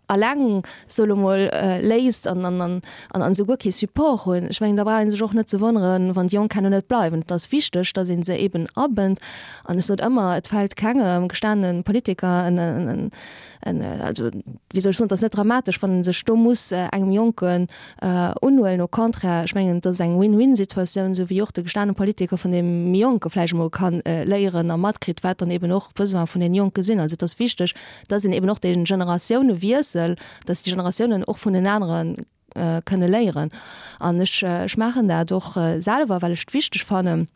alleng, soe lo mol, léisst an an an se guer kee Support hunn, ech mengen, da brauch ee sech och net ze wonneren, wann déi Jonk herno net bleiwen. Et ass wichteg, dass ee se eben abënnt. An ech sot ëmmer, et fält kengem gestane Politiker en en en, also wéi soll ech soen, et ass net dramatesch, wann e sech do muss engem Jonken unhuelen. Au contraire, ech mengen, et ass eng Win-win-Situatioun, esou wéi och de gestane Politiker vun deem méi Jonke vläicht emol ka léieren a matkritt, wat dann eben och d'Besoine vun deene Jonke sinn. Also et ass wichteg, dass een eben och dee Generatiounewiessel, dass déi Generatiounen och vun den anere kënne léieren. An ech, ech maachen dat och selwer, well ech et wichteg fannen,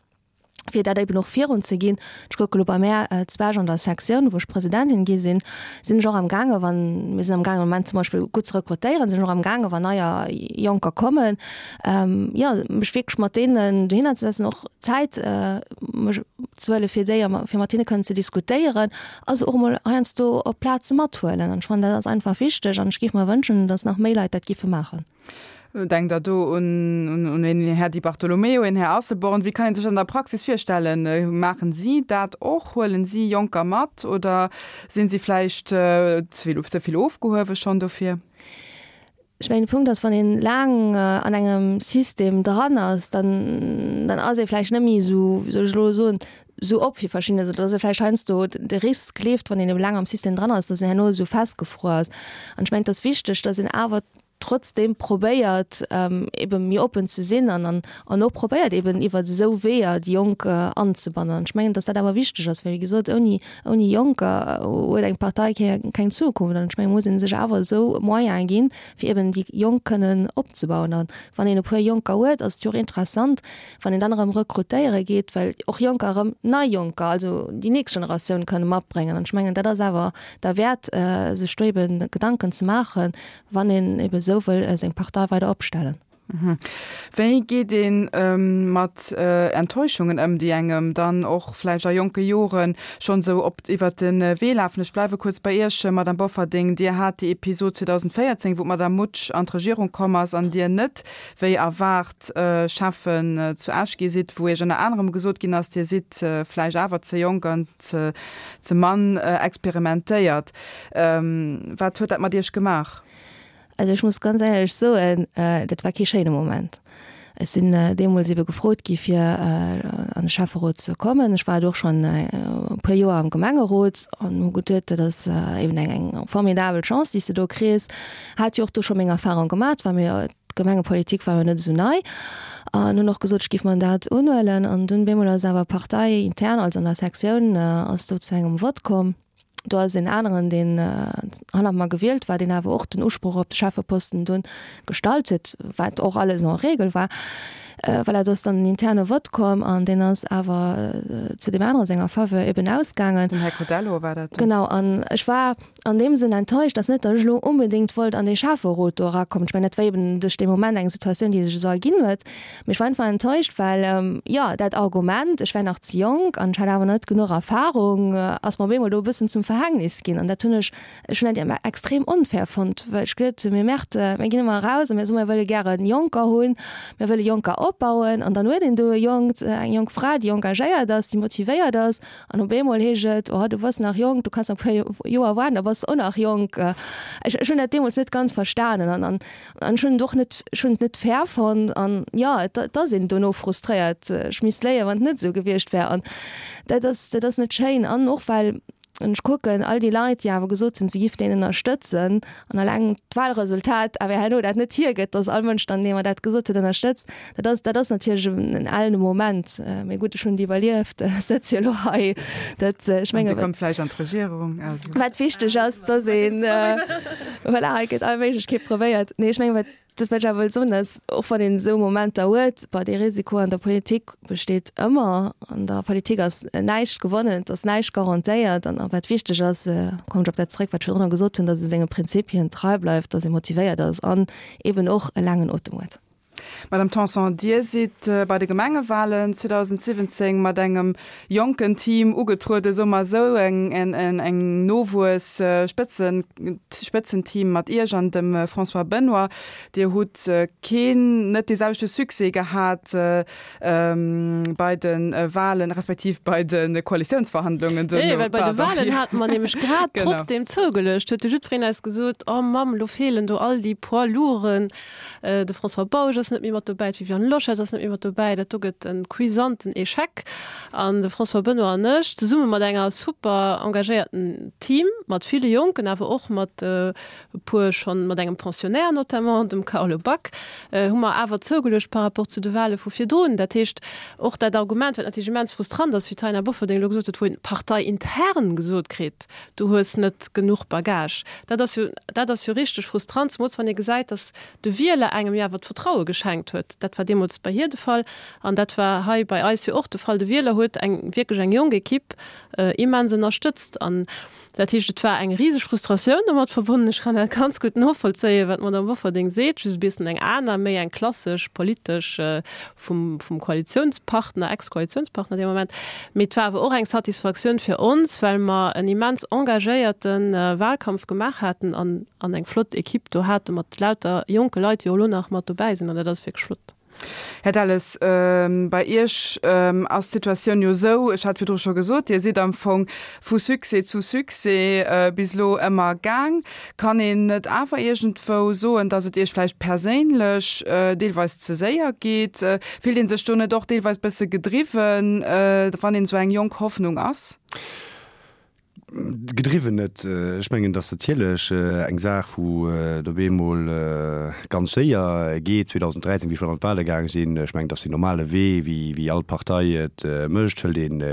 fir dat eben och virun ze ginn. Ech kucke lo bei mär zu Esch an der Sektioun, wou ech Presidentin gi sinn, sinn ech och am gaange wann, mir sinn am gaangen am Moment zum Beispill gutt ze rekrutéieren, sinn ech och am gaange wann neier Jonker kommen, jo mech wierklech mat deenen dohinner ze setzen, och Zäit mech ze huele fir déi a fir mat hinne kënnen ze diskutéieren a se och emol heiansdo op Plaze mathuelen. An ech fannen, dat ass einfach wichteg an ech géif mer wënschen, datt nach méi Leit dat giffe maachen. Denkt Der do un een Här Di Bartolomeo, een Här Asselborn? Wéi kann een sech dat an der Praxis virstellen? Maachen si dat och? Huelen si Jonker mat oder sinn si vläicht ze vill ofgehuewe schonn dofir? Ech mengen, de Punkt ass, wann een laang an engem System dran ass, dann dann ass ee vläicht net méi esou, wéi soll ech elo soen, esou op fir verschidden, also dass e vläicht heiansdo de Risk leeft, wann een ebe laang am System dran ass, dass een herno esou festgefruer ass. An ech mengen, et ass wichteg, dass een awer trotzdem probéiert, ebe méi oppen ze sinn an an och probéiert eben iwwer esou Weeër déi Jonk anzebannen. An ech mengen, dass dat awer wichteg ass, well wéi gesot, ouni ouni Jonker huet eng Partei keng Zukunft. An ech mengen, muss ee sech awer esou Moyene ginn, fir eben déi Jonk kënnen opzebauen. An wann een e puer Jonker huet, ass et jo och interessant, wann een dann erëm rekrutéiere geet, well och Jonker erëm nei Jonker, also déi nächst Generatioun kënne matbréngen. An ech mengen, dat ass awer derwäert, sech do eben Gedanken ze maachen, wann een eben esou wëll seng Partei weider opstellen. Wéi geet ee mat Enttäuschungen ëm, déi engem dann och vläicht a jonke Jore schonn esou op iwwert de Wee lafen? Ech bleiwe kuerz bei Iech, Madame Bofferding. Dir hat déi Episod zweedausendvéierzéng, wou d'Madame Mutsch an d'Regierung komm ass an Dir net wéi erwaart Schäffen zu Esch gi sidd, wou Iech ënner anerem gesot ginn ass, Dir sidd vläicht awer ze jonk an ze mann experimentéiert. Wat huet dat mat Iech gemaach? Also ech muss ganz éierlech soen, dat war kee schéine Moment. Ech sinn deemools ebe gefrot gi fir an de Schäfferot ze kommen. Ech war do och schonn e puer Joer am Gemengerot an hu geduet, dat ass eben eng eng formidabel Chance, déi s de do kriss. Hat jo och do scho meng Erfahrung gemat, war mir d'Gemengepolitik war mir net esou nei an hunn och gesot, ech géif mer dat unhuelen. An dunn bemol ass awer parteiintern, also an der Sektioun, ass do zu engem Vott komm. Do ass een aneren, deen hannert mer gewielt war, deen awer och den Usproch op de Schäffeposten dunn gestallt huet, wat och alles en règle war. Voilà, do ass dann en interne Vott komm an deen ass awer zu deem anere senger Faveur eben ausgaangen. Den Här Codello war dat dann? Genau. An ech war an deem Sënn enttäuscht, dass net, datt ech elo onbedéngt wollt an dee Schäfferot do erakommen. Ech mengen, dat war eben duerch dee Moment eng Situatioun, déi sech esou erginn huet. Mee ech war einfach enttäuscht, well, jo, dat Argument, ech wär nach ze jonk an ech hätt awer net genuch Erfahrung, ass mer op eemol do e bëssen zum Verhängnis ginn. An dat hunn ech, ech hunn dat extrem onfair fonnt, well ech geduet hunn, mir Merde, mir ginn ëmmer eraus a mir soen, mir wëlle gäre Jonker hunn, mir wëlle Jonker opbauen. An dann huet een do e Jonkt, eng jonk Fra, déi engagéiert ass, déi motivéiert ass, an op eemol heescht et, oh, du bass nach jonk, du kanns nach e puer Joer waarden, da bass de och nach jonk. Ech, ech hunn dat deemools net ganz verstanen an, an, an ech hunn et och net, ech hunn et net fair fonnt an, jo, et, et ass een dono frustréiert. Ech misst léien, wann et net esou gewiescht wär an dat ass, dat ass net schéin. An och well, wann ech kucken, all déi Leit, déi awer gesot hunn, se giff deen ënnerstëtzen, an eleng d'Wahlresultat awer herno dat net hiergëtt, dass all Mënsch dann, dee mer dat gesot huet, ënnerstëtzt, dat ass, dat ass natierlech en ellene Moment. Mee gutt, ech hunn et iwwerlieft, ech sëtz jo elo hei. Dat, ech menge. An Dir kommt vläicht an d'Regierung, also. Wat wichteg ass, dass een, voilà, hei gëtt all Méiglechkeet probéiert. Nee, ech menge wat. Dat wat ech awer wëll soen ass, och wann een esou Momenter huet, bah, dee Risiko an der Politik besteet ëmmer. An der Politik ass näischt gewonnen, et ass näischt garantéiert. An wat wichteg ass, kommen ech op dat zrëck, wat ech virdrunner gesot hunn, datt ee senge Prinzipien trei bleift, datt ee motivéiert ass an eeben och e laangen Otem huet. Madame Tanson, Dir sidd bei de Gemengewalen zweedausendsiwwenzéng mat engem jonken Team ugetrueden, soe mer esou, eng Nowuess-Spëtzenteam mat Iech an dem François Benoy. Dir hutt keen, net dee selwechte Succès gehat bei de Walen, respektiv bei de Koalitiounsverhandlungen duerno. Nee, well bei de Walen hate mer nämlech grad trotzdeem zougeluecht, huet de jiddwereen eis gesot, Oh Mamm, lo feelen do all déi Poids lourden. De François Bausch ass net méi mat dobäi, d'Viviane Loschetter ass net méi mat dobäi. Dat do gëtt e cuisanten Echec. An de François Benoy an ech, zesumme mat enger super engagéierten Team, mat ville Jonken, awer och mat e puer schonn, mat engem Pensionnaire notamment, dem Carlo Back, hu mer awer zougeluecht par rapport zu de Wahle vu virdrun. Dat heescht, och dat Argument, wat natierlech immens frustrant ass, wéi d'Taina Bofferding elo gesot huet, wou een parteiintern gesot kritt, du hues net genuch Bagage, dat ass jo, dat ass jo richteg frustrant, zemools wann ee gesäit, datt de Wieler engem jo awer d'Vertraue geschenkt huet. Dat war deemools bei hir de Fall an dat war hei bei eis jo och de Fall. De Wieler huet eng, wierklech eng jonk Equipe immens ënnerstëtzt. An dat heescht, et war eng riseg Frustratioun domat verbonnen. Ech kann dat ganz gutt novollzéien, wat d'Madame Bofferding seet, just e bessen eng aner, méi eng klassesch politesch vum, vum Koalitionspartner, Ex-Koalitionspartner dee Moment. Mee et war awer och eng Satisfaktioun fir ons, well mer en immens engagéierte Wahlkampf gemaach haten an, an eng flott Equipe do hate mat lauter jonke Leit, déi och elo nach mat dobäi sinn. An dat ass wierklech flott. Här Delles, bei Iech ass d'Situatioun jo esou, ech hat virdru scho gesot, Dir sidd am Fong vu Succès zu Succès bis elo ëmmer gaang. Kann een net awer iergendwou soen, datt et Iech vläicht perséinlech deelweis ze séier geet? Fillt ee sech do net och deelweis bësse gedriwwen, wann een esou eng jonk Hoffnung ass? Gedriwwen net. Ech mengen, datt natierlech eng Saach, wou et op eemol ganz séier geet, zweedausenddräizéng, wéi ech mat an d'Wahle gaang sinn, ech mengen, datt deen normale Wee, wéi wéi all Partei et mécht, hëlt een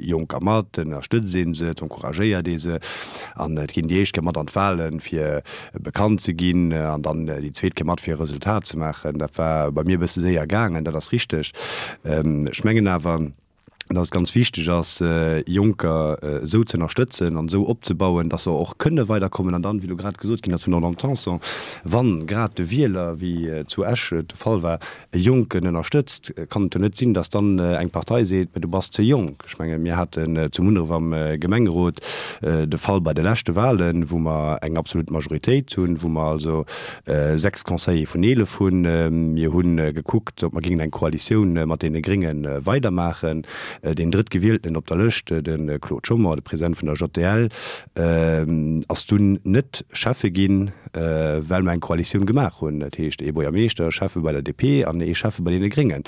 Jonker mat, ënnerstëtzt ee se, encouragéiert ee se an et ginn déi éischt Kéier mat an d'Wahlen, fir bekannt ze ginn an dann déi zweet Kéier mat, fir e Resultat ze maachen. Dat war bei mir e bësse séier gaangen, dat ass richteg. Ech mengen awer, dass et ganz wichteg ass, Jonker esou ze ënnerstëtzen an esou opzebauen, dass se och kënne weiderkommen. An dann, wéi elo grad gesot ginn ass vun der Madame Tanson, wann grad de Wieler, wéi zu Esch et de Fall war, e Jonken ënnerstëtzt, kann et jo net sinn, dass dann eng Partei seet, mä du bass ze jonk. Ech menge mir haten zu Munneref am Gemengerot de Fall bei de leschte Wahlen, wou mer eng absolut Majoritéit hunn, wou mer also sechs Conseiller vun eelef hunn. Mir hu gekuckt, ob mer géingen eng Koalitioun mat deene Grénge weidermaachen. Deen Drëttgewieltenen op der Lëscht, de Claude Schommer, de President vun der J D L, ass dunn net Schäffe ginn, well mer eng Koalitioun gemaach hunn. Dat heescht, ee Buergermeeschter, Schäffe bei der D P an ee Schäffe bei deene Gréngen.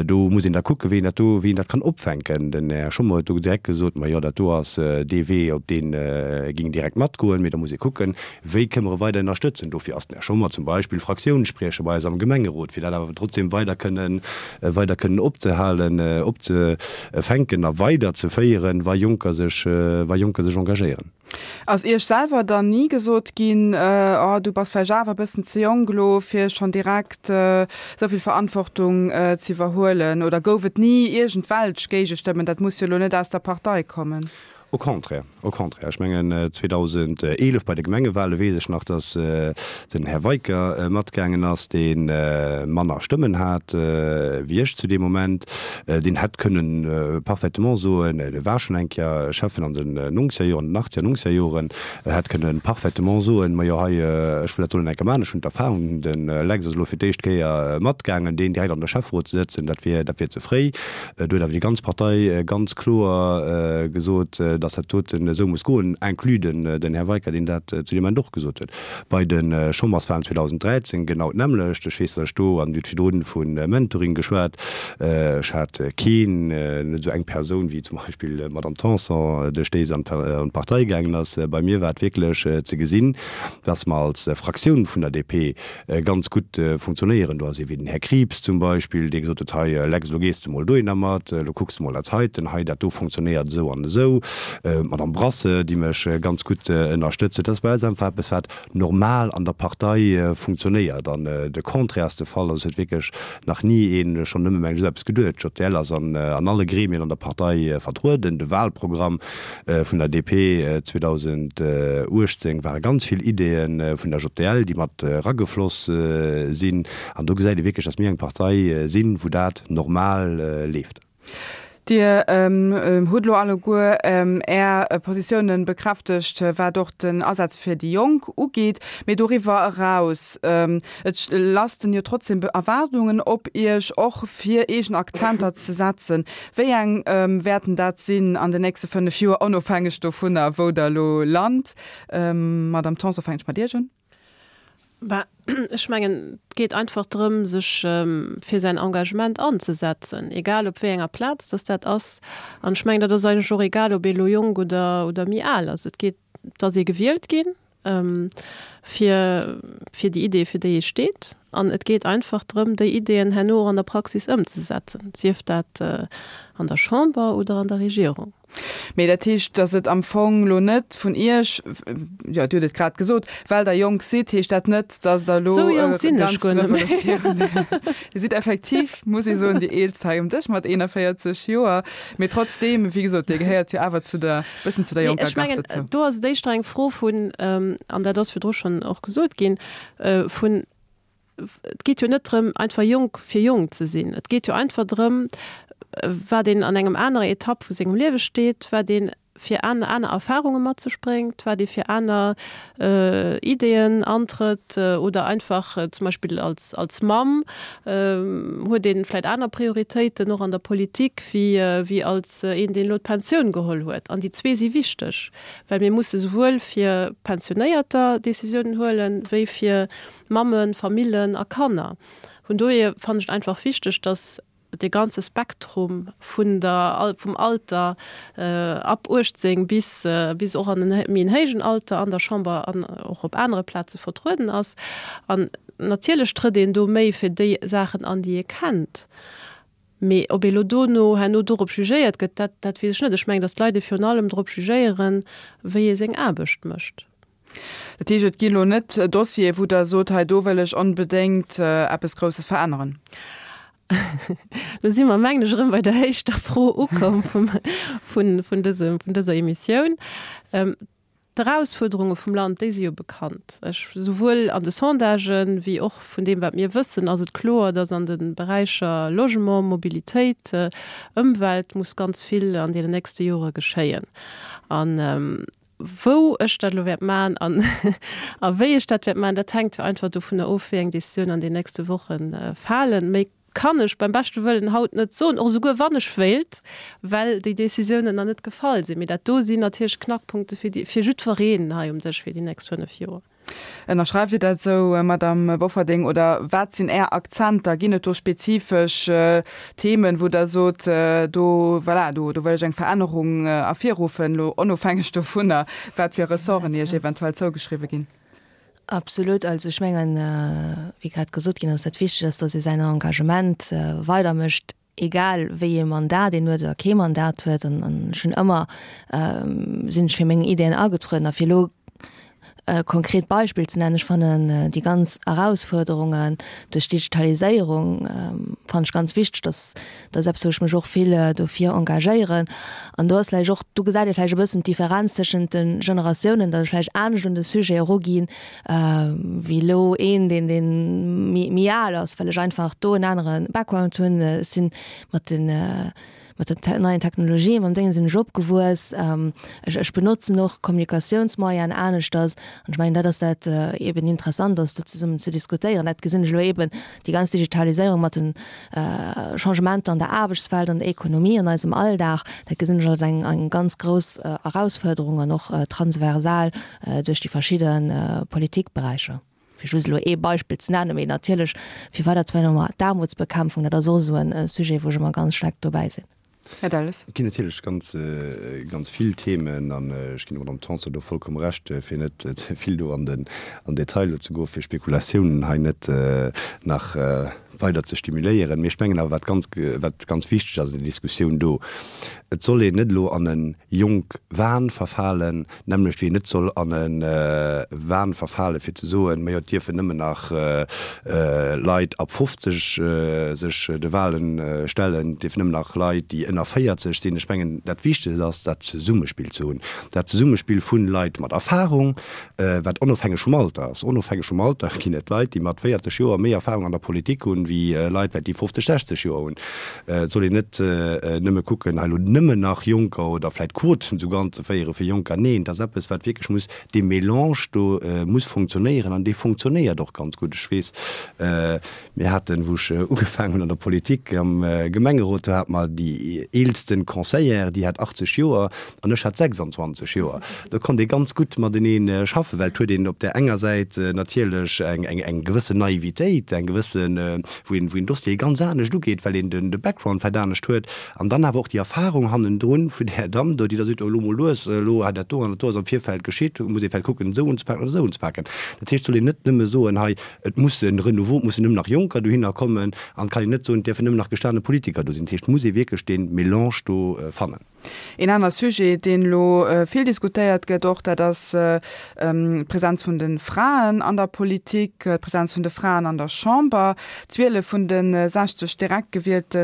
Do muss een da kucken, wéi een dat do, wéi een dat kann opfänken. Den Här Schommer huet do direkt gesot, Ma jo, dat do ass dee Wee, op dee géing direkt matgoen. Mee da muss ee kucken, wéi kënne mer e weider ënnerstëtzen. Dofir ass den Här Schommer zum Beispill Fraktiounsspriecher bei eis am Gemengerot, fir dat awer trotzdem weider kënnen, weider kënnen opzehalen, opzefänken a weiderzeféieren, wa Jonker sech, wa Jonker sech engagéieren. Ass Iech selwer dann ni gesot ginn, oh du bass vläicht awer e bëssen ze jonk elo fir schonn direkt esou vill Verantwortung ze iwwerhuelen? Oder gouf et ni iergendwelch Géigestëmmen? Dat muss jo elo net aus der Partei kommen. Au contraire, au contraire. Ech mengen, zweedausendeelef bei de Gemengewale weess ech nach, datt den Här Weicker matgaangen ass, dee manner Stëmmen hat wéi ech zu deem Moment. Deen hätt kënnen parfaitement soen, e war schonn eng Kéier Schäffen an den nongzeger Joren, den achtzeger, nongzeger Joren, hätt kënnen parfaitement soen, majo hei, ech wëll dat do eng Kéier maachen, ech hunn d'Erfahrung, de Lex ass elo fir d'éischt Kéier matgaangen, deen direkt an de Schäfferot ze sëtzen, dat wier, dat wier ze fréi. Do huet awer déi ganz Partei ganz kloer gesot, dass dat doten esou muss goen, inclus den, den Här Weicker, deen dat zu deem Moment och gesot huet. Bei de Chamberswahlen zweedausenddräizéng genau d'nämmlecht. Ech weess, dass ech do, an Dir hutt virdrun vu Mentoring geschwat, ech hat keen, net esou eng Persoun wéi zum Beispill d'Madame Tanson, duerch déi se an d'Partei gaangen ass. Bei mir war et wierklech ze gesinn, dass mer als Fraktioun vun der D P ganz gutt funktionéieren. Do ass ee wéi den Här Krieps zum Beispill, dee gesot huet, Hei Lex, elo gees de mol dohinner mat, elo kucks de mol dat heiten, hei dat do funktionéiert esou an esou. D'Madame Brasse, déi mech ganz gutt ënnerstëtzt huet. Dat ass bei eis einfach eppes, wat normal an der Partei funktionéiert. An de Contraire ass de Fall. Also et huet wierklech nach ni een schonn nëmme mengen esou eppes geduet. D'J D L ass an alle Gremien an der Partei vertrueden. De Wahlprogramm vun der D P zweedausenduechtzéng ware ganz vill Ideeë vun der J D L, déi mat eragefloss sinn. An do gesäit ee wierklech, datt mir eng Partei sinn, wou dat normal leeft. Dir hutt elo alleguer Är Positiounen bekräftegt, wat och den Asaz fir déi Jonk ugeet. Mee doriwwer eraus, et lasten jo trotzdem Erwaardungen op Iech, och fir eegen Akzenter ze setzen. Wéi eng wäerten dat sinn an den nächste fënnef Joer, onofhängeg dovunner, wou Der elo lant? Madamm Tanson, fänken ech mat Iech un. Bah, ech mengen, et geet einfach drëm, sech fir säin Engagement anzesetzen, egal op wéi enger Plaz dass dat ass. An ech mengen, dat ass eigentlech och egal, ob ee elo jonk oder, oder méi al ass. Et geet, et ass ee gewielt ginn fir, fir déi Ideeë, fir déi ee steet. An et geet einfach drëm, déi Ideeën herno och an der Praxis ëmzesetzen, sief dat an der Chamber oder an der Regierung. Mee dat heescht, datt et am Fong elo net vun Iech, jo, Dir hutt et grad gesot, well Der jonk sidd, heescht dat net, datt Der elo Sou jonk sinn ech ganz guer net méi. Revolutioun. Dir sidd effektiv, muss ee soen, déi Eelst hei um Dësch mat eenanvéierzeg Joer. Mee trotzdeem, wéi gesot, Dir gehéiert jo awer zu der, bëssen zu der Mee jonker ech Gard mengen, dozou. do ass et éischter eng Fro vun, an dat ass virdru schonn och gesot ginn, vun, et geet jo net drëm, einfach jonk fir jonk ze sinn. Et geet jo einfach drëm, wat een an engem anere Etapp vu sengem Liewe steet, wat een fir aner, aner Erfahrunge mat sech bréngt, wat ee fir aner Ideeën antrëtt oder einfach zum Beispill als, als Mamm huet ee vläicht aner Prioritéiten och an der Politik wéi, wéi als een, deen elo d'Pensioun geholl huet. An déi zwee si wichteg, well mir musse souwuel fir Pensionéierter Décisiounen huelen, wéi fir Mammen, Famillen a Kanner. Vun dohier fannen ech et einfach wichteg, dass dee ganze Spektrum vun der, vum Alter ab uechtzéng bis, bis och an en méi en héijen Alter an der Chamber an och op anere Plaze vertrueden ass. An natierlech trëtt een do méi fir déi Saachen an, déi ee kennt. Mee ob ee lo dono herno dorop jugéiert gëtt, dat, dat weess ech net. Ech mengen, datt d'Leit ee virun allem drop jugéieren, wéi ee seng Aarbecht mécht. Dat heescht, et gi lo net Dossiere, wou Der sot, hei do wëll ech onbedéngt eppes Grousses veränneren? Lo si mer, mengen ech, erëm bei der éischter Fro ukomm vum, vun, vun dësem, vun dëser Emissioun. D'Erausfuerderunge vum Land, déi si jo bekannt. Ech, souwuel an de Sondagen, wéi och vun deem, wat mir wëssen, ass et kloer, dass an de Beräicher Logement, Mobilitéit, Ëmwelt muss ganz vill an deenen nächste Jore geschéien. An wou ech dat elo wäert maachen an a wéi ech dat wäert maachen, dat hänkt jo einfach dovunner of, wéi eng Décisioun an den nächste Woche falen. Méi kann ech beim beschte Wëllen haut net soen, och esouguer wann ech wéilt, well déi Décisiounen nach net gefall sinn. Mee dat do sinn natierlech Knackpunkte fir déi, fir jiddwereen hei um Dësch fir déi nächst fënnef Joer. Ënnerschreift Dir dat esou, Madamm Bofferding, oder wat sinn Är Akzenter? Ginn et do spezifesch Themen, wou Der sot, do, voilà, do, do wëll ech eng Verännerung ervirruffen, elo onofhängeg dovunner, wat fir Ressorten Iech eventuell zougeschriwwe ginn? Absolut. Also ech mengen, wéi grad gesot ginn ass, dat Wichteg ass, datt ee säin Engagement weidermécht, egal wéi ee Mandat een huet oder kee Mandat huet. An ech hunn ëmmer, sinn ech fir meng Ideeën agetrueden. A fir elo e konkret Beispill ze nennen, ech fannen déi ganz Erausfuerderungen duerch d'Digitaliséierung fannen ech ganz wichteg. Dass, dat ass eppes, wou ech mech och vill dofir engagéieren. An do ass vläicht och, do gesäit ee vläicht e bëssen d'Differenz tëschent de Generatiounen, datt ech vläicht anescht un de Sujet eruginn wéi elo een, deen, deen méi, méi al ass, well ech einfach do en anere Background hunn. Ech sinn mat den, mat den neien Technologien, mam Déngen sinn ech opgewuess. Ech, ech benotzen och Kommunikatiounsmoyenen aneschters. An ech mengen, dat ass dat eben interessant ass, do zesummen ze diskutéieren. Dat gesinn ech elo eben, déi ganz Digitaliséierung mat den Changementer an der Aarbechtswelt, an der Ekonomie, an eisem Alldag, dat gesinn ech als eng, eng ganz grouss Erausfuerderung an och transversal duerch déi verschidde Politikberäicher. Fir just elo ee Beispill ze nennen, mee natierlech fir weider ze féieren, d'Aarmutsbekämpfung, dat ass och esou e Sujet, wou ech ëmmer ganz staark dobäi sinn. Här Delles. Et ginn natierlech ganz, ganz vill Themen an ech ginn der Madame Tanson do vollkomm Recht, fir net ze vill do an den Detail elo ze goen, fir Spekulatiounen hei net nach weider ze stimuléieren. Mee ech mengen awer, wat ganz, wat ganz wichteg ass an der Diskussioun do, Et soll een net elo an e Jonk-Wahn verfalen, d'nämmlecht wéi een net soll an e Wahn verfalen, fir ze soen, majo, et dierfen nëmmen nach Leit ab fofzeg sech de Wahlen stellen, et dierfen nëmmen nach Leit, déi ënner véierzeg sinn. Ech mengen, dat Wichtegst ass, dat Zesummespill ze hunn, dat Zesummespill vu Leit mat Erfahrung, wat onofhängeg vum Alter ass. Onofhängeg vum Alter ginn et Leit, déi mat véierzeg Joer méi Erfahrung an der Politik hunn, wéi Leit, wat déi fofzeg, sechzeg Joer hunn. Et soll een net nëmme kucken, hei elo nëmmen nach Jonker oder vläicht Quoten souguer anzeféiere fir Jonker. Neen, et ass eppes, wat wierklech muss, dee Mélange do muss funktionéieren an dee funktionéiert och ganz gutt. Ech weess, mir haten, wou ech ugefaangen hunn an der Politik am Gemengerot, do hate mer déi eelsten Conseillère, déi hat achtzeg Joer an ech hat sechsandzwanzeg Joer. Do konnt ee ganz gutt matenee schaffen, well et huet een op där enger Säit natierlech eng gewëssen Naivitéit, eng gewëssen, wou een, wou een Dossiere ganz anescht ugeet, well een den, de Background vläicht anescht huet, an dann awer och déi Erfahrung hannendrun vun där Damm do, déi da seet, oh elo mol lues, elo hei dat do an dat do ass am Virfeld geschitt, muss ee vläicht kucken, esou unzepaken oder esou unzepaken. Dat heescht, et soll een net nëmme soen, hei et muss e Renouveau, et mussen nëmmen nach Jonker dohinner kommen, an et kann een net soen, et dierfen nëmmen nach gestane Politiker do sinn. Dat heescht, et muss ee wierklech dee Mélange do fannen. Een aner Sujet, deen elo vill diskutéiert gëtt och, dat ass d'Presenz vun de Fraen an der Politik, d'Presenz vun de Fraen an der Chamber. Zwielef vun de sechzeg direkt gewielte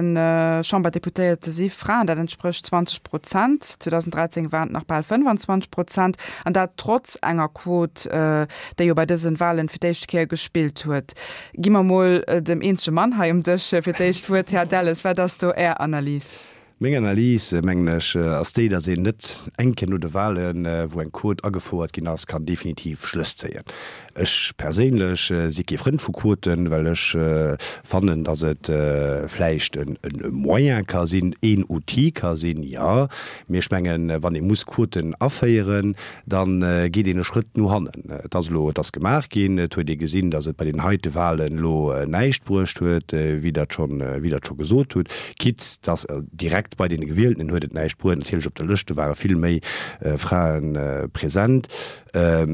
Chamberdeputéierte si Fraen, dat entsprécht zwanzeg Prozent. zweedausenddräizéng waren et nach bal fënnfanzwanzeg Prozent, an dat trotz enger Quot, déi jo bei dëse Walen fir d'éischte Kéier gespillt huet. Gi mer mol dem eenzege Mann hei um Dësch fir d'éischt d'Wuert. Här Delles, wat ass do Är Analys? Meng Analys, mengen ech, ass déi, datt een net eng Kéier no de Wahlen, wou eng Quot agefouert ginn ass, kann definitiv Schlëss zéien. Ech perséinlech si kee Frënd vu Quoten, well ech fannen, datt et vläicht e Moyen ka sinn, een Outil ka sinn, jo, mee ech mengen, wann ee muss Quoten aféieren, da geet een e Schrëtt no hannen. Et ass elo, et ass gemaach ginn, et huet ee gesinn, datt et bei den heite Wahlen elo näischt bruecht huet, wéi Der et schonn, wéi Der et scho gesot hutt, quitte datt direkt bei deene Gewieltenen huet et näischt bruet. Natierlech op de Lëschte ware vill méi Frae present. Ech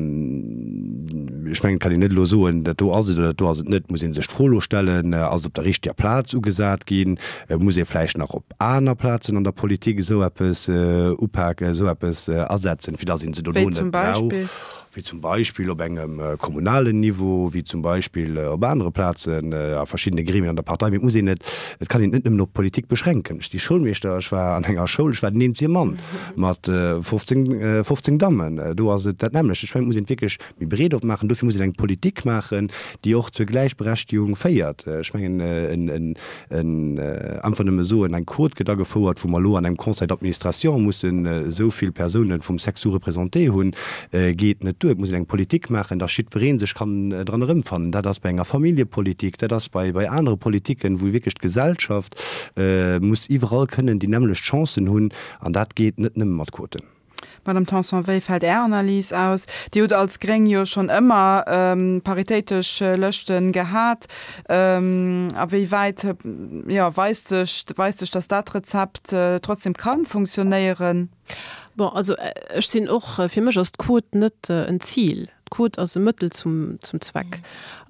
mengen, et kann een net elo soen, dat do ass et oder dat do ass et net. Et muss ee sech d'Fro elo stellen, Ass et op der richteger Plaz ugesat ginn? Muss ee vläicht nach op aner Plazen an der Politik esou eppes upaken, esou eppes asetzen, fir datt ee se dono net brauch? Wéi zum Beispill op engem kommunalen Niveau, wéi zum Beispill op anere Plazen, a verschiddene Gremien an der Partei. Mee et muss een et, et kann een et net nëmmen op d'Politik beschränken. Ech si Schoulmeeschter, ech war an enger Schoul, ech war den eenzege Mann mat fofzéng, fofzéng Dammen. Do ass et dat nämmlecht. Ech mengen, et muss een et wierklech méi breet opmaachen. Dofir muss een eng Politik maachen, déi och zur Gläichberechtigung féiert. Ech mengen, en, en, en einfach nëmme soen, eng Quot gëtt agefouert, wou mer elo an engem Conseil d'administration mussen esou vill Persounen vum Sexe sous-représenté hunn, geet net duer. Et muss een eng Politik maachen, dass jiddweree sech kann dran erëmfannen. Dat ass bei enger Familljepolitik, dat ass bei bei anere Politiken, wou wierklech d'Gesellschaft muss iwwerall kënnen déi nämmlecht Chancen hunn. An dat geet net nëmme mat Quoten. Madame Tanson, wéi fält Är Analys aus? Dir hutt als Gréng jo schonn ëmmer paritéitesch Lëschte gehat. A wéi wäit, jo, weist sech, weist sech, dass dat Rezept trotzdem ka funktionéieren? Bon, also ech sinn och, fir mech ass d'Quot net en Zil. D'Quot ass e Mëttel zum, zum Zweck.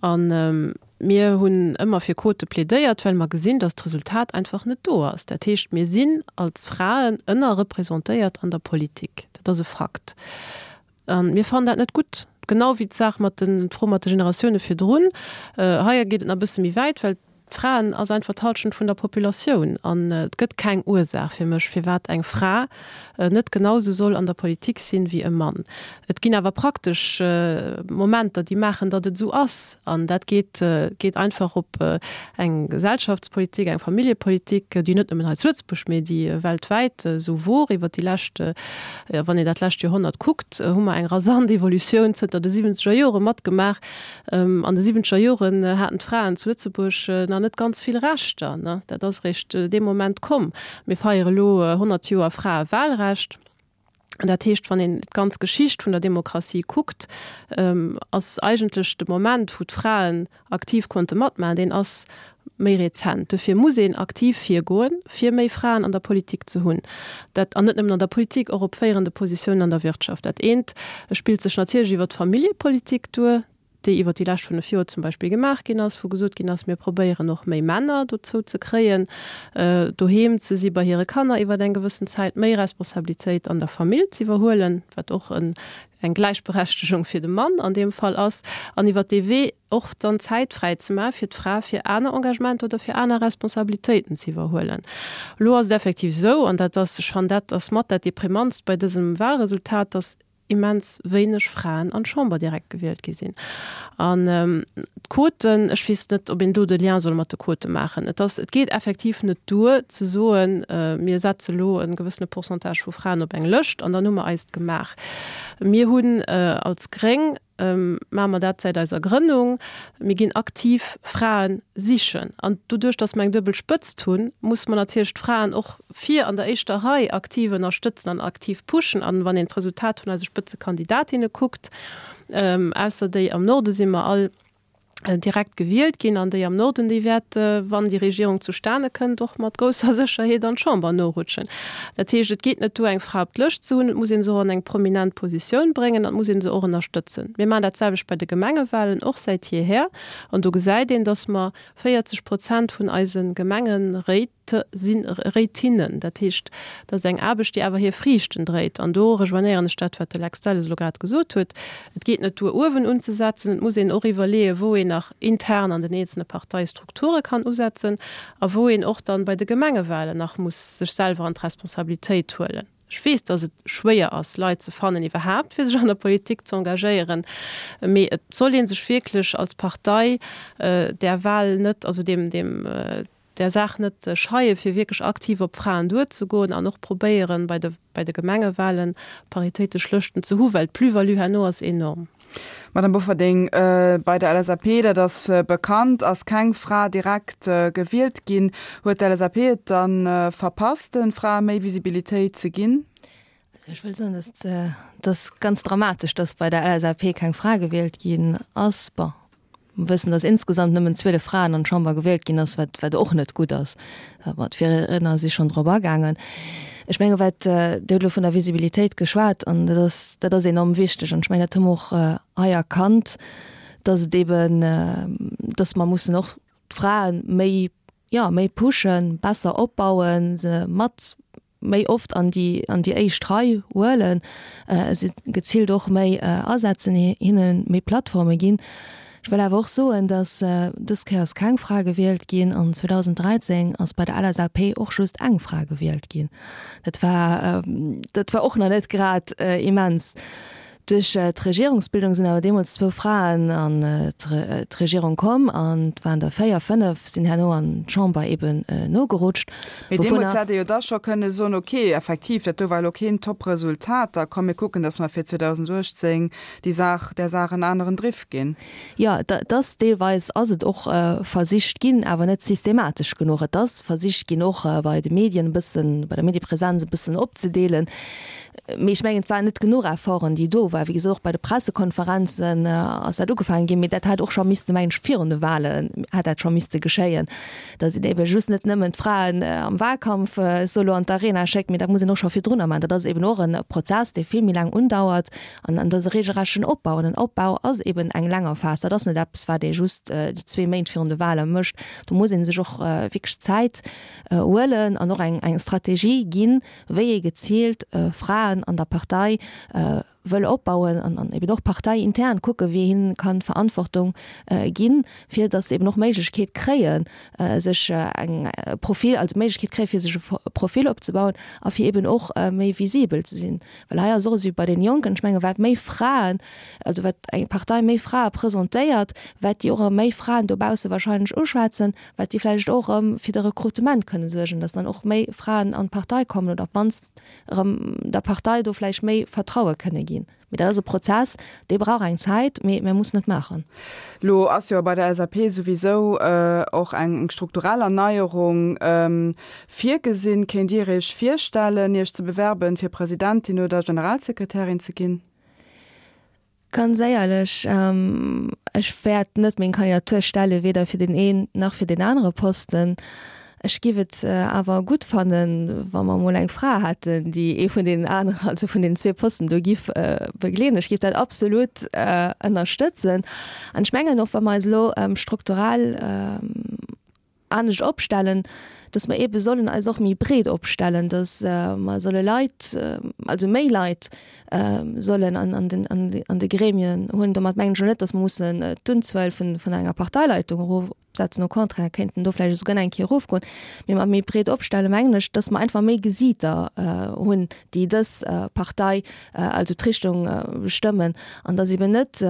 An mir hunn ëmmer fir Quote plädéiert, well mer gesinn, dass d'Resultat einfach net do ass. Dat heescht, mir sinn als Fraen ënnerrepresentéiert an der Politik. Dat ass e Fakt. A mir fannen dat net gutt. Genau wéi d'Saach mat den, d'Fro mat de Generatioune virdrun. Hei geet et nach e bësse méi wäit, well d'Fraen ass einfach d'Halschent vun der Populatioun an et gëtt keng Ursaach fir mech, firwat eng Fra net genau sou soll an der Politik sinn wéi e Mann. Et ginn awer praktesch Momenter, déi maachen, datt et esou ass an dat geet geet einfach op eng Gesellschaftspolitik, eng Familljepolitik, déi net nëmmen hei zu Lëtzebuerg, mee déi weltwäit esou wor iwwert déi lescht, wann een dat lescht Joerhonnert kuckt, hu mer eng rasant Evolutioun zënter de siwwenzeger Jore matgemaach. An de siwwenzeger Joren haten d'Fraen zu Lëtzebuerg nach net ganz vill Rechter, ne? Dat ass eréischt dee Moment komm. Mir feiere elo honnert Joer Fraewahlrecht. Dat heescht, wann een d'ganz Geschicht vun der Demokratie kuckt, ass eigentlech de Moment, wou d'Fraen aktiv konnte matmaachen, deen ass méi rezent. Dofir muss een aktiv virgoen, fir méi Fraen an der Politik ze hunn. Dat, an net nëmmen an der Politik, och op féierende Positiounen an der Wirtschaft. Dat eent spillt sech natierlech iwwert d'Familljepolitik duer, déi iwwer déi lescht fënnef Joer zum Beispill gemaach ginn ass, wou gesot ginn ass, mir probéieren och méi Männer dozou ze kréien, doheem ze si bei hire Kanner iwwer eng gewëssen Zäit, méi Responsabilitéit an der Famill ze iwwerhuelen, wat och eng Gläichberechtegung fir de Mann an deem Fall ass, an iwwer dee Wee och dann Zäit fräi ze maache fir d'Fra, fir aner Engagementer oder fir aner Responsabilitéiten ze iwwerhuelen. Elo ass et effektiv esou, an dat ass, ech fannen, dat ass mat dat Deprimantst bei dësem Wahlresultat, dass immens wéineg Fraen an d'Chamber direkt gewielt gi sinn. An d'Quoten, ech weess net, ob een do de Lien soll mat de Quote maachen. Et ass, et geet effektiv net duer ze soen, mir setze elo e gewëssene Pourcentage vu Fraen op eng Lëscht an dann hu mer eist gemaach. Mir hunn als Gréng, maache mer dat säit eiser Grënnung, mir ginn aktiv Frae sichen. An doduerch, datt mer eng duebel Spëtzt hunn, musse mer natierlech d'Fraen och vir an der éischter Rei aktiv ënnerstëtzen an aktiv pushen. An wann een d'Resultat vun eise Spëtzekandidatinne kuckt, ausser déi am Norde si mer all direkt gewielt ginn, an déi am Norden, déi wäert, wann déi Regierung zustane kënnt, och mat grousser Sécherheet an d'Chamber norutschen. Dat heescht, et geet net duer, eng Fra op d'Lëscht ze hunn, et muss ee se och an eng prominent Positioun bréngen an et muss ee se och ënnerstëtzen. Mir maachen dat selwecht bei de Gemengewahlen, och säit jeeher. An do gesäit een, datt mer véierzeg Prozent vun eise Gemengeréit si Réitinnen. Dat heescht, dat ass eng Aarbecht, déi awer hir Friichten dréit. An do rejoignéieren ech dat, wat de Lex Delles elo grad gesot huet, Et geet net duer, uewen unzesetzen, et muss een och iwwerleeën, wou een nach intern an den eenzelne Parteistrukture kann usetzen a wou een och dann bei de Gemengewahlen nach muss sech selwer an d'Responsabilitéit huelen. Ech weess, dass et schwéier ass, Leit ze fannen iwwerhaapt, fir sech an der Politik ze engagéieren, mee et soll ee sech wierklech als Partei där Wahl net, also deem, deem, där Saach net scheie fir wierklech aktiv op d'Fraen duerzegoen an och probéieren, bei de bei de Gemengewahlen paritéitesch Lëschten ze hu, well d'Plus-value herno ass enorm. Madame Bofferding, bei der LSAP, dat ass bekannt, ass keng Fra direkt gewielt ginn. Huet d'LSAP et dann verpasst, de Frae méi Visibilitéit ze ginn? Also ech wëll soen, dass et ass ganz dramatesch, dass bei der LSAP keng Fra gewielt ginn ass. Bon, mer wëssen, dass insgesamt nëmmen zwielef Fraen an d'Chamber gewielt ginn ass, wat wat och net gutt ass. Mä d'Virriedner si schonn drop agaangen. Ech menge wat, Dir hutt elo vun der Visibilitéit geschwat an dat ass, dat ass enorm wichteg an ech mengen, dat hu mer och hei erkannt, dass et eeben, dass mer mussen och d'Frae méi, jo, méi pushen, besser opbauen, se mat méi oft an déi an déi éischt Rei huelen, se geziilt och méi asetzen, hinne méi Plattforme ginn. Ech wëll awer och soen, datt dës Kéier ass keng Fra gewielt ginn an zweedausend dräizéng ass bei der L S A P och just eng Fra gewielt ginn. Dat war dat war och nach net grad immens. Duerch d'Regierungsbildung sinn awer deemools zwou Fraen an d'Regierung komm an et waren der véier, fënnef sinn herno an d'Chamber eben nogerutscht. Mee deemools hätt ee jo da scho kënne soen, ok, effektiv, dat do war elo keen Top-Resultat, da komm mir kucken, datt mer fir zweedausend uechtzéng déi Saach, där Saach en aneren Driff ginn. Jo, et ass deelweis ass et och versicht ginn, awer net systematesch genuch. Et ass versicht ginn, och bei de Medien e bëssen, bei der Mediepresenz e bëssen opzedeelen. Mee ech mengen, et waren net genuch Efforten, déi do waren. Wéi gesot, och bei de Pressekonferenzen ass dat ugefaangen ginn, mee dat hätt och scho misste, mengen ech, virun de Wahlen hätt dat scho misste geschéien, datt een ebe just net nëmmen d'Fraen am Wahlkampf solo an d'Arena schéckt, mee dat muss een och scho virdrunner maachen. Dat ass eben och e Prozess, dee vill méi laang undauert an an dat ass e regelrechten Opbau. An en Opbau ass eben eng länger Phas. Dat ass net eppes, wat ee just déi zwee Méint virun de Wahle mécht. Do muss ee sech och wierklech Zäit huelen an och eng eng Strategie ginn, wéi ee geziilt Fraen an der Partei wëll opbauen an an eben och parteiintern kucke wéi een kann Verantwortung ginn, fir datt se eben och Méiglechkeet kréien, sech eng Profil, also Méiglechkeet kréie fir sech e Profil opzebauen a fir eben och méi visibel ze sinn. Well hei ass och esou wéi bei den Jonken, ech menge wat méi Fraen, also wat eng Partei méi Frae presentéiert, wat déi och erëm méi Fraen dobausse wahrscheinlech uschwätzen, wat déi vläicht och erëm fir de Rekrutement kënne suergen, datt dann och méi Fraen an d'Partei kommen oder op d'mannst erëm der Partei do vläicht méi Vertraue kënne ginn. Mee dat ass e Prozess, dee brauch eng Zäit, mee mir mussen et maachen. Lo ass jo bei der L S A P souwisou och eng strukturell Erneierung virgesinn. Kéint Dir Iech virstellen, Iech ze bewerben, fir Presidentin oder Generalsekretärin ze ginn? Ganz éierlech, ech wäert net meng Kandidatur stelle weder fir deen een nach fir deen anere Posten. Ech giff et awer gutt fannen, wa mer emol eng Fra hätten, déi ee vun deenen aneren, also vun deenen zwee Posten do giff begleeden. Ech giff dat absolut ënnerstëtzen. An ech mengen och, wa mer eis elo strukturell anescht opstellen, dass mer eebe sollen eis och méi breet opstellen, dass mer solle Leit, also méi Leit sollen an an den an de Gremien hunn. Domat mengen ech elo net, dass mer mussen d'Unzuel vun vun enger Parteileitung erofsetzen, au contraire, kéinten do vläicht esouguer nach eng Kéier erofgoen, mee mat méi breet opstelle mengen ech, dass mer einfach méi Gesiiter hunn, déi dës Partei, also d'Richtung bestëmmen an dass eeben net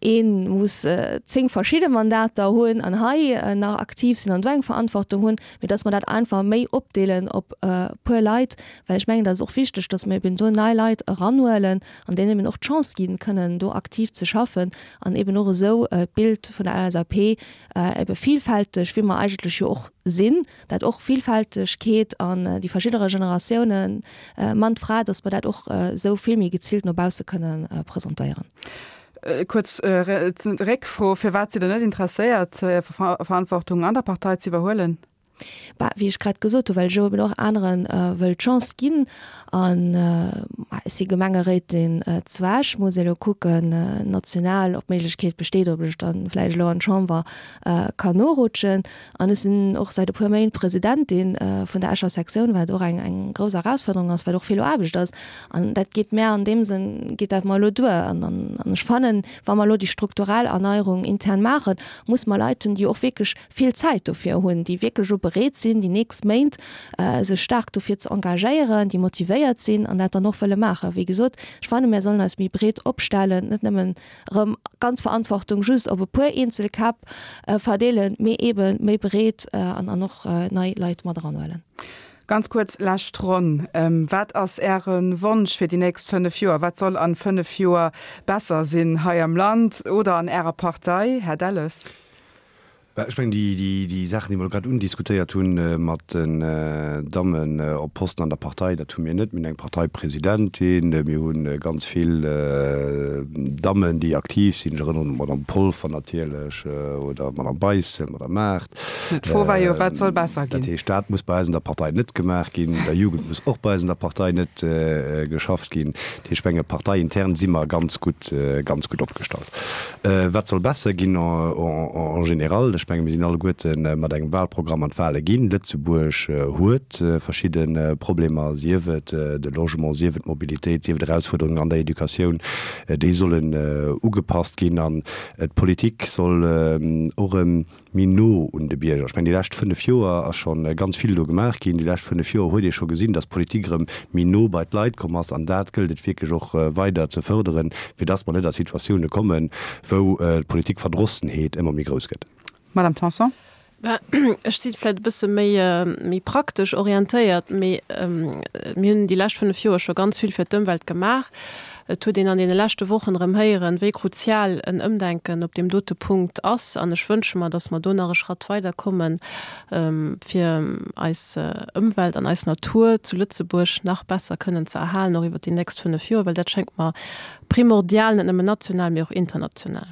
ee muss zéng verschidde Mandater hunn an hei nach aktiv sinn an do eng Verantwortung hunn, mee dass mer dat einfach méi opdeelen op e puer Leit, well ech mengen, dat ass och wichteg, dass mer eben do nei Leit eranhuelen an deenen eben och d'Chance ginn, kënnen do aktiv ze schaffen an eben och esou d'Bild vun der L S A P ebe villfälteg, wéi mer eigentlech jo och sinn, dat och Villfältegkeet an déi verschiddere Generatiounen, Mann, Fra, dass mer dat och esou vill méi geziilt no bausse kënnen presentéieren. Kuerz Réckfro, Firwat sidd Der net interesséiert, Verantwortung an der Partei ze iwwerhuelen? Bah, wéi ech grad gesot hu, well ech eben och anere wëll d'Chance ginn. An ech si Gemengeréitin zu Esch, muss elo kucken national, ob d'Méiglechkeet besteet, ob ech dann vläicht elo an d'Chamber kann norutschen. An ech sinn och säit e puer Méint Presidentin vun der Escher Sektioun, wat och eng eng grouss Erausfuerderung ass, wat och vill Aarbecht ass. An dat geet mär an deem Sënn geet dat mer elo duer. An an ech fannen, wa mer elo déi strukturell Erneierung intern maachen, muss mer Leit hunn, déi och wierklech vill Zäit dofir hunn, déi wierklech och bereet sinn, déi nächst Méint sech staark dofir ze engagéieren, déi motivéiert sinn an dat dann och wëlle maachen. Wéi gesot, ech fanne mir sollen eis méi breet opstellen, net nëmmen erëm ganz Verantwortung just op e puer eenzel Käpp verdeelen, mee eebe méi breet an an och nei Leit mat eranhuelen. Ganz kuerz, lescht Ronn, Wat ass Äre Wonsch fir déi nächst fënnef Joer? Wat soll an fënnef Joer besser sinn hei am Land oder an Ärer Partei, Här Delles? Ech mengen, déi Saachen, déi mer elo grad undiskutéiert hunn mat den Dammen op Posten an der Partei, dat hu mir net. Mir hunn eng Parteipresidentin, mir hu ganz vill Dammen, déi aktiv sinn. Ech erënneren un d'Madame Polfer natierlech oder d'Madame Beissel, d'Madame Maart. D'Fro war jo, Wat soll besser ginn? Dat heescht, dat muss bei eis an der Partei net gemaach ginn. Un der Jugend muss och bei eis an der Partei net geschafft ginn. Dat heescht, ech menge parteiintern si mer ganz gutt, ganz gutt opgestallt. Wat soll besser ginn en général? Ech menge mir sinn alleguerte mat engem Wahlprogramm an d'Wahle ginn. Lëtzebuerg huet verschidde Problemer, sief et de Logement, sief et d'Mobilitéit, sief et Erausfuerderungen an der Educatioun, déi sollen ugepasst ginn an d'Politik soll och erëm méi no un de Bierger. Ech mengen, déi lescht fënnef Joer ass scho ganz vill do gemaach ginn. Déi lescht fënnef Joer huet ee scho gesinn, dass d'Politik erëm méi no bei d'Leit komm ass. An dat gëllt et wierklech och weider ze fërderen, fir dass mer net a Situatioune kommen, wou d'Politikverdrossenheet ëmmer méi grouss gëtt. Madame Tanson. Ech si vläicht e bësse méi, méi praktesch orientéiert, mee mir hunn déi lescht fënnef Joer scho ganz vill fir d'Ëmwelt gemaach. Et huet een an deene leschte Wochen erëm héieren, wéi kruzial en Ëmdenken op deem dote Punkt ass. An ech wënsche mer, dass mer do nach e Schratt weiderkommen, fir eis Ëmwelt an eis Natur zu Lëtzebuerg nach besser kënnen ze erhalen, och iwwert déi nächst fënnef Joer, well dat schéngt mer primordial, net nëmmen national, mee och international.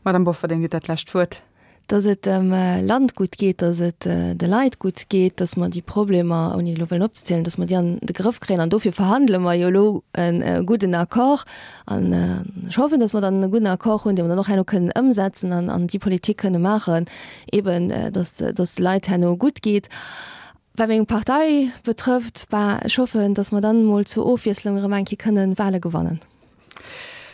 Madame Bofferding, Dir hutt dat lescht Wuert. Dass et dem Land gutt geet, dass et de Leit gutt geet, dass mer déi Problemer, ouni elo wëllen opzezielen, dass mer déi an de Grëff kréien. An dofir verhandele mer jo elo e gudden Accord. An ech hoffen, dass mer dann e gudden Accord hunn, dee mer dann och herno kënnen ëmsetzen an an déi Politik kënne maachen, eeben dass dass de Leit herno gutt geet. Wat meng Partei betrëfft, bah, ech hoffen, dass mer dann emol zur Ofwiesslung erëm eng Kéier kënnen Wahle gewannen.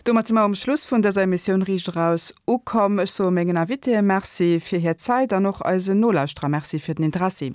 Domat si mer um Schluss vun dëser Emissioun Riicht Eraus ukomm. Ech soe mengen Invitéë Merci fir hir Zäit an och eisen Nolauschterer Merci fir den Interessi.